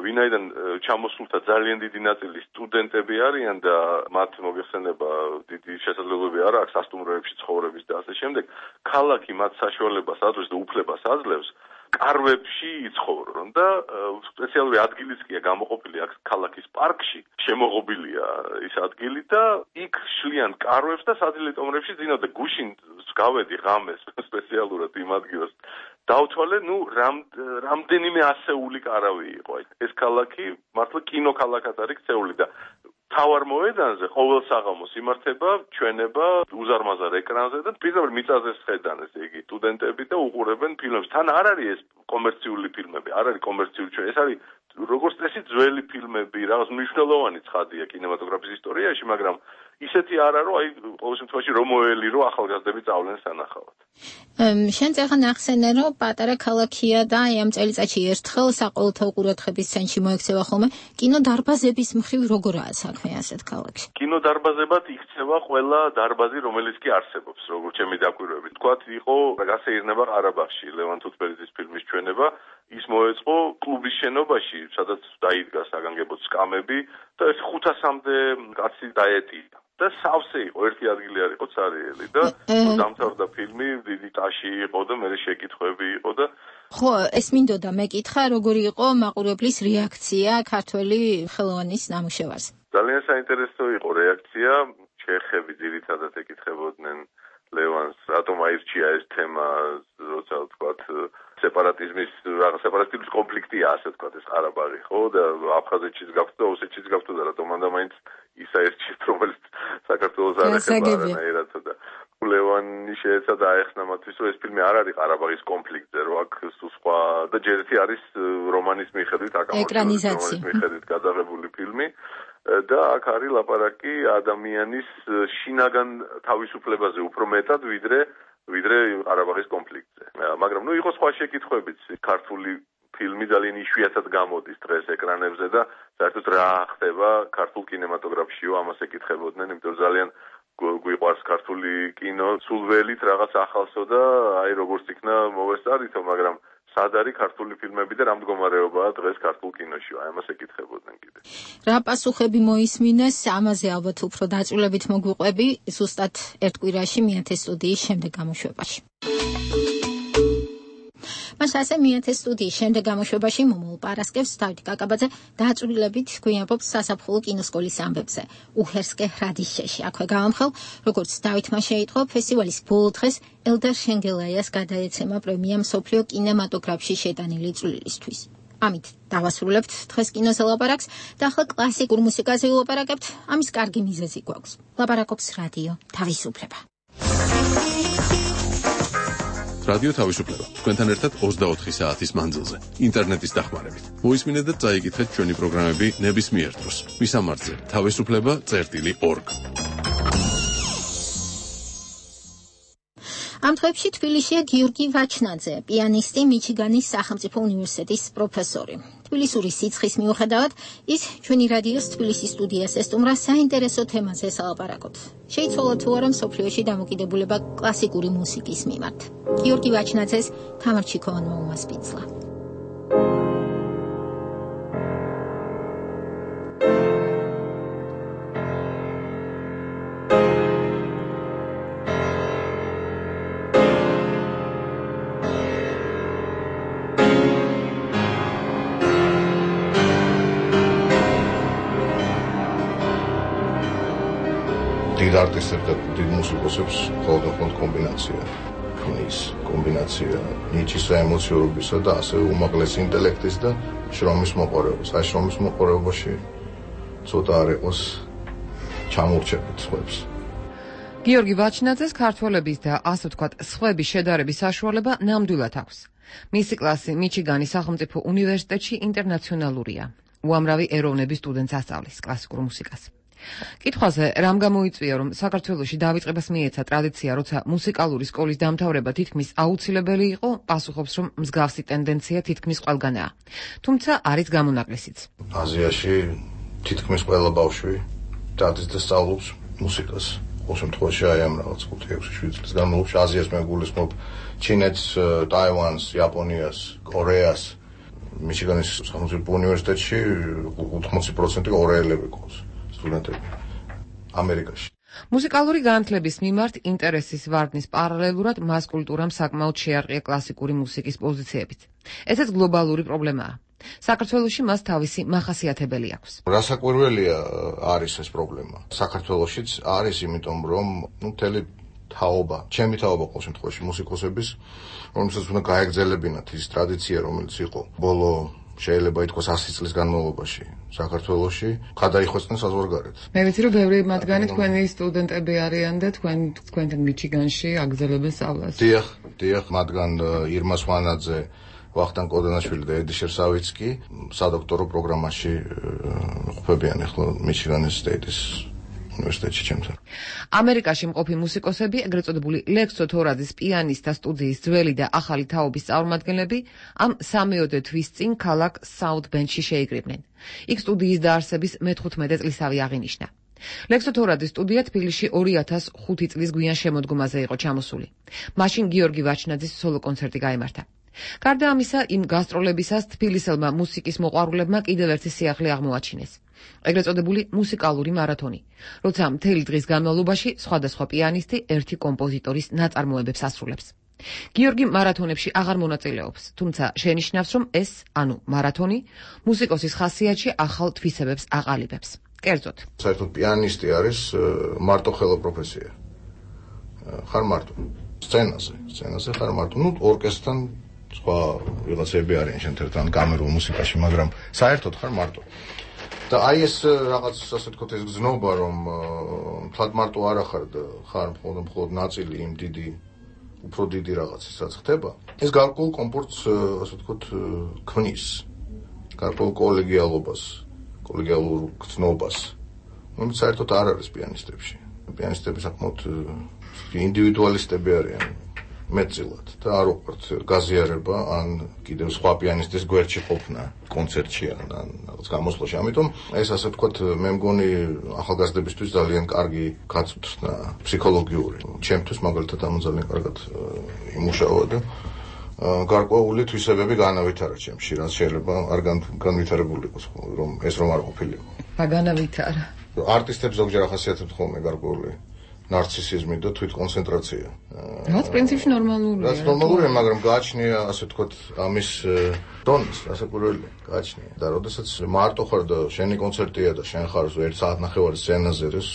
ვინაიდან ჩამოსულთა ძალიან დიდი ნაწილი სტუდენტები არიან და მათ მოიხსენება დიდი შესაძლებლობები არ აქვს სასტუმროებში ცხოვრების და ასე შემდეგ, ქალაქი მათ საშუალებას აძლევს და უფლებას აძლევს კარვებში იცხოვრონ და სპეციალური ადგილიც კი გამოყოფილი აქვს ქალაქის პარკში, შემოღობილია ის ადგილი და იქ შლიან კარვებს და სადილე-ტომრებში ძინავ და გუშინ გავედი ღამეს სპეციალურად იმ ადგილას. დავთვალე, რამდენიმე ასეული კარავი იყო. ეს ქალაქი მართლა კინოქალაქად არის ქცეული და თავარ მოედანზე ყოველ საღამოს იმართება ჩვენება უზარმაზარ ეკრანზე და პირდაპირ მიწაზე სხედან ესე იგი სტუდენტები და უყურებენ ფილმებს. თან არ არის ეს კომერციული ფილმები, არ არის კომერციული ჩვენ. ეს არის როგორც წესი ძველი ფილმები, რაღაც მნიშვნელოვანი ცხადია კინემატოგრაფის ისტორიაში, მაგრამ ისეთი არა რომ აი ყოველ შემთხვევაში რომ მოელი რომ ახალგაზრდები წავლენ სანახავად. შენ წეხან ახსენე რომ პატარა ქალაქია და აი ამ წელიწადში ერთხელ საყოველთაო ყურადღების ცენტრში მოექცევა ხოლმე კინოდარბაზების მხრივ როგორაა საქმე ასეთ ქალაქში. კინოდარბაზებად იქცევა ყველა დარბაზი რომელიც კი არსებობს როგორც ჩემი დაკვირვებით. თქვათ იყო გასეირნება ყარაბაღში ლევან თუთბერიძის ფილმის ჩვენება ის მოეწყო კლუბის შენობაში სადაც დაიდგა საგანგებოდ სკამები და 500-მდე კაცი დაეტია. და სავსე იყო, ერთი ადგილი არ იყო ცარიელი და დამთავრდა ფილმი, დიდი ტაში იყო და მე შეკითხვები იყო და ხო, ეს მინდოდა მეკითხა, როგორი იყო მაყურებლის რეაქცია ქართველი ხელოვანის ნამუშევარზე. ძალიან საინტერესო იყო რეაქცია, ჩეხები ძირითადად ეკითხებოდნენ ლევანს, რატომ აირჩია ეს თემა, როცა ვთქვათ, სეპარატიზმის კონფლიქტია, ასე ვთქვათ, ეს ყარაბაღი, ხო, და აფხაზეთშიც გაქვთ და ოსეთშიც გაქვთ და რატომ მანდა მაინც ის აირჩიეს, რომელიც საქართველოს არ ეხება არანაირად და ლევანი შეეცადა აეხსნა მათთვის, რომ ეს ფილმი არ არის ყარაბაღის კონფლიქტზე, რომ აქ სხვა და ჯერ ერთი არის რომანის მიხედვით ეკრანიზაცია. მიხედვით გადაღებული ფილმი. და აქ არის ლაპარაკი ადამიანის შინაგან თავისუფლებაზე უფრო მეტად ვიდრე ყარაბაღის კონფლიქტზე. მაგრამ იყო სხვა შეკითხვებიც. ქართული ფილმი ძალიან იშვიათად გამოდის დღეს ეკრანებზე და საერთოდ რა ხდება ქართულ კინემატოგრაფშიო ამას ეკითხებოდნენ, იმიტომ რომ ძალიან გვიყვარს ქართული კინო, სულ ველით რაღაც ახალსო და აი როგორც იქნა მოვესწარითო, მაგრამ სად არის ქართული ფილმები და რა მდგომარეობაა დღეს ქართულ კინოში? აი ამას ეკითხებოდნენ კიდე. რა პასუხები მოისმინეს, ამაზე ალბათ უფრო დაწვრილებით მოგვიყვები ზუსტად ერთ კვირაში მიათე სტუდიის შემდეგ გამოშვებაში. მას ასე მიათე სტუდიის შემდეგ გამოშვებაში მომავალ პარასკევს დავით კაკაბაძე დაწვრილებით გვიამბობს სასაფხულო კინოსკოლის ამბებზე. უჰერსკე ხრადიშეში. აქვე გავამხელ, როგორც დავითმა შეიტყო, ფესტივალის ბოლო დღეს ელდარ შენგელაიას გადაეცემა პრემია მსოფლიო კინემატოგრაფში შეტანილი წვლილისთვის. ამით დავასრულებთ დღეს კინოზე ლაპარაკს და ახლა კლასიკურ მუსიკაზე ვილაპარაკებთ. ამის კარგი მიზეზი გვაქვს. ლაპარაკობს რადიო თავისუფლება. რადიო თავისუფლება. თქვენთან ერთად 24 საათის მანძილზე. ინტერნეტის დახმარებით. მოისმინეთ და წაიკითხეთ ჩვენი პროგრამები ნებისმიერ დროს. მისამართზე თავისუფლება.org. ამ დღეებში თბილისშია გიორგი ვაჩნაძე, პიანისტი, მიჩიგანის სახელმწიფო უნივერსიტეტის პროფესორი. თბილისური სიცხის მიუხედავად, ის ჩვენი რადიოს თბილისის სტუდიას ესტუმრა საინტერესო თემაზე სალაპარაკოთ. შეიცვალა თუ არა მსოფლიოში დამოკიდებულება კლასიკური მუსიკის მიმართ. გიორგი ვაჩნაძეს თამარ ჩიქოვანმა უმასპინძლა. არტისტებს და დიდ მუსიკოსებს მხოლოდ კომბინაცია ქმნის, კომბინაცია ნიჩის ემოციურობისა და ასევე უმაღლესი ინტელექტის და შრომის მოყარებას. აი შრომის მოყარებაში ცოტა არ იყოს ჩამორჩებით სხვებს. გიორგი ვაჩნაძეს ქართველების და ასე ვთქვათ სხვების შედარების საშუალება ნამდვილად აქვს. მისი კლასი მიჩიგანის სახელმწიფო უნივერსიტეტში ინტერნაციონალურია. უამრავი ეროვნების სტუდენტს ასწავლის კლასიკურ მუსიკას. კითხვაზე რამ გამოიწვია, რომ საქართველოში დავიწყებას მიეცა ტრადიცია, როცა მუსიკალური სკოლის დამთავრება თითქმის აუცილებელი იყო, პასუხობს, რომ მსგავსი ტენდენცია თითქმის ყველგანაა. თუმცა არის გამონაკლისიც. აზიაში თითქმის ყველა ბავშვი დადის და სწავლობს მუსიკას. ყოველ შემთხვევაში აი ამ რაღაც 5-6 წლის განმავლობაში აზიას მე გულისხმობ ჩინეთს, ტაივანს, იაპონიას, კორეას. მიჩიგანის სახელმწიფო უნივერსიტეტში 80% კორეელები ყავს სტუდენტები. ამერიკაში. მუსიკალური განათლების მიმართ ინტერესის ვარდნის პარალელურად მას კულტურამ საკმაოდ შეარყია კლასიკური მუსიკის პოზიციებით. ესეც გლობალური პრობლემაა. საქართველოში მას თავისი მახასიათებელი აქვს. რასაკვირველია არის ეს პრობლემა. საქართველოშიც არის, იმიტომ რომ მთელი თაობა, ჩემი თაობა ყოველ შემთხვევაში მუსიკოსების, რომელსაც უნდა გაეგრძელებინათ ის ტრადიცია, რომელიც იყო ბოლო შეიძლება ითქვას 100 წლის განმავლობაში საქართველოში, გადაიხვეწნენ საზღვარგარეთ. მე ვიცი, რომ ბევრი მათგანი თქვენი სტუდენტები არიან და თქვენთან მიჩიგანში აგრძელებენ სწავლას. დიახ, მათგან ირმა სვანაძე, ვახტანგ კოდანაშვილი და ედი შერსავიცკი სადოქტორო პროგრამაში ყოფებიან ახლა მიჩიგანის სტეიტის უნივერსიტეტში ჩემთან. ამერიკაში მყოფი მუსიკოსები, ეგრეთ წოდებული ლექსო თორაძის პიანისტთა სტუდიის ძველი და ახალი თაობის წარმომადგენლები ამ 3-4 თვის წინ ქალაქ საუთ ბენდში შეიკრიბნენ. იქ სტუდიის დაარსების მე-15 წლისავე აღინიშნა. ლექსო თორაძის სტუდია თბილისში 2005 წლის გვიან შემოდგომაზე იყო ჩამოსული. მაშინ გიორგი ვაჩნაძის სოლო კონცერტი გაემართა. გარდა ამისა, იმ გასტროლებისას თბილისელმა მუსიკის მოყვარულებმა კიდევ ერთი სიახლე აღმოაჩინეს. ეგრეთ წოდებული მუსიკალური მარათონი, როცა მთელი დღის განმავლობაში სხვადასხვა პიანისტი ერთი კომპოზიტორის ნაწარმოებებს ასრულებს. გიორგი მარათონებში აღარ მონაწილეობს, თუმცა შენიშნავს, რომ ეს, ანუ მარათონი, მუსიკოსის ხასიათში ახალ თვისებებს აყალიბებს. კერძოდ, საერთოდ პიანისტი არის მარტოხელა პროფესია. ხარ მარტო სცენაზე ხარ მარტო, ორკესტრთან სხვა ვიღაცები არიან შენთან კამერულ მუსიკაში, მაგრამ საერთოდ ხარ მარტო. და აი ეს რაღაც ასე ვთქვათ ეს გზნობა, რომ თლად მარტო არ ახარ და ხარ მხოლოდ ნაწილი იმ უფრო დიდი რაღაცის რაც ხდება. ეს გარკვეულ კომფორტს ასე ვთქვათ ქმნის, გარკვეულ კოლეგიალურ გზნობას, რომელიც საერთოდ არ არის პიანისტებში. პიანისტები საკმაოდ ინდივიდუალისტები არიან მეტწილად და არ უყვართ გაზიარება ან კიდევ სხვა პიანისტის გვერდში ყოფნა კონცერტში ან რაღაც გამოსვლაში. ამიტომ ეს ასე ვთქვათ მე მგონი ახალგაზრდებისთვის ძალიან კარგი გაწვრთნა ფსიქოლოგიური. ჩემთვის მაგალითად ამ ძალიან კარგად იმუშავა და გარკვეული თვისებები განავითარა ჩემში, რაც შეიძლება არ განვითარებული იყოს, რომ არ ყოფილიყო. განავითარა. არტისტებს ზოგჯერ ახასიათებთ ხოლმე გარკვეული ნარცისიზმი და თვითკონცენტრაცია. რაც პრინციპში ნორმალურია. რაც ნორმალურია, მაგრამ გააჩნია ასე ვთქვათ ამის დონის, რასაკვირველია, გააჩნია. და როდესაც მარტო ხარ და შენი კონცერტია და შენ ხარ 1 საათნახევარი სცენაზე, ეს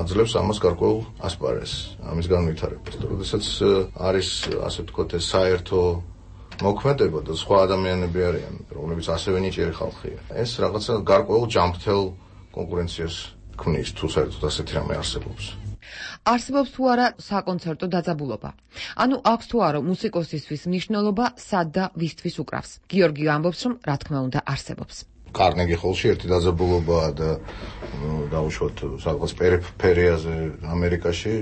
აძლევს ამას გარკვეულ ასპარეზს, ამის განვითარებას. და როდესაც არის ასე ვთქვათ ეს საერთო მოქმედება და სხვა ადამიანები არიან, რომლებიც ასევე ნიჭიერი ხალხია. ეს რაღაცა გარკვეულ ჯანმრთელ კონკურენციას ქმნის, თუ საერთოდ ასეთი რამე არსებობს. არსებობს თუ არა საკონცერტო დაძაბულობა. ანუ აქვს თუ არა მუსიკოსისთვის მნიშვნელობა სად და ვისთვის უკრავს. გიორგი ამბობს, რომ რა თქმა უნდა არსებობს. კარნეგი ჰოლში ერთი დაძაბულობაა და დაუშვათ რაღაც პერიფერიაზე ამერიკაში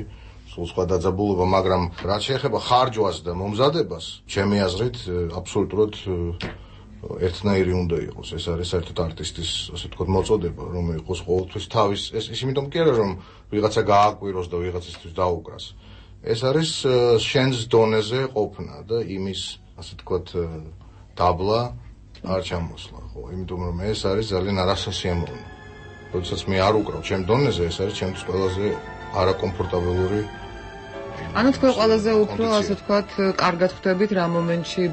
სულ სხვა დაძაბულობა, მაგრამ რაც შეეხება ხარჯვას და მომზადებას, ჩემი აზრით აბსოლუტურად ერთნაირი უნდა იყოს. ეს არის საერთოდ არტისტის, ასე ვთქვათ, მოწოდება, რომ იყოს ყოველთვის თავის, ეს იმიტომ კი არა, რომ ვიღაცა გააკვიროს და ვიღაცისთვის დაუკრას. ეს არის შენს დონეზე ყოფნა და იმის, ასე ვთქვათ, დაბლა არ ჩამოსვლა, ხო, იმიტომ რომ ეს არის ძალიან არასასიამოვნო. როდესაც მე არ უკრავ ჩემ დონეზე, ეს არის ჩემთვის ყველაზე არაკომფორტაბელური. ანუ თქვენ ყველაზე უფრო, ასე ვთქვათ, კარგად ხვდებით რა მომენტში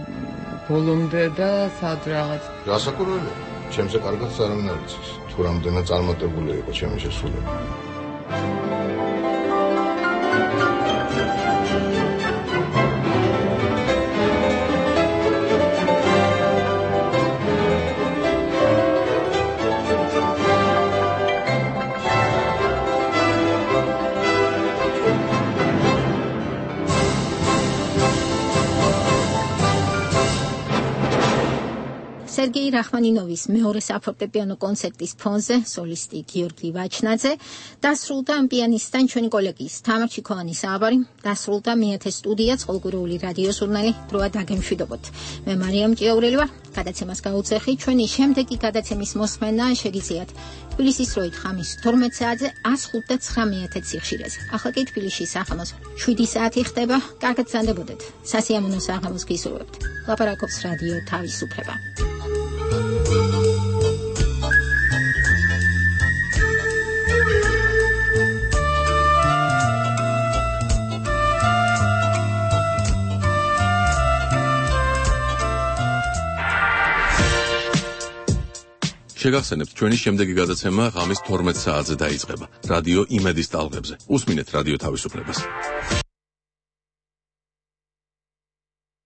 ბოლომდე და სად რაღაც. რასაკვირველია, ჩემზე კარგად არავინ არ იცის, თუ რამდენად წარმატებული იყო ჩემი შესრულება. სერგეი რახმანინოვის მეორე საფორტეპიანო კონცერტის ფონზე სოლისტი გიორგი ვაჩნაძე დასრულდა ამ პიანისტთან ჩვენი კოლეგის თამარ ჩიქოვანის საუბარი, დასრულდა მეათე სტუდია წყალგურული რადიო ჟურნალი დროა დაგემშვიდობოთ. მე მარიამ ჭიაურელი ვარ. გადაცემას გაუძახი ჩვენი შემდეგი გადაცემის მოსმენა შეგიძლიათ თბილისის დროით ხამის 12 საათზე 105.9 სიხშირეზე. ახლა კი თბილისში საღამოს 7 საათი ხდება. კარგად გრძანდებოდეთ. სასიამოვნო საღამოს გისურვებთ. ლაპარაკობს რადიო თავისუფლება. შეგახსენებთ, ჩვენი შემდეგი გადაცემა ღამის 12 საათზე დაიწყება. რადიო იმედის ტალღებზე. უსმინეთ რადიო თავისუფლებას.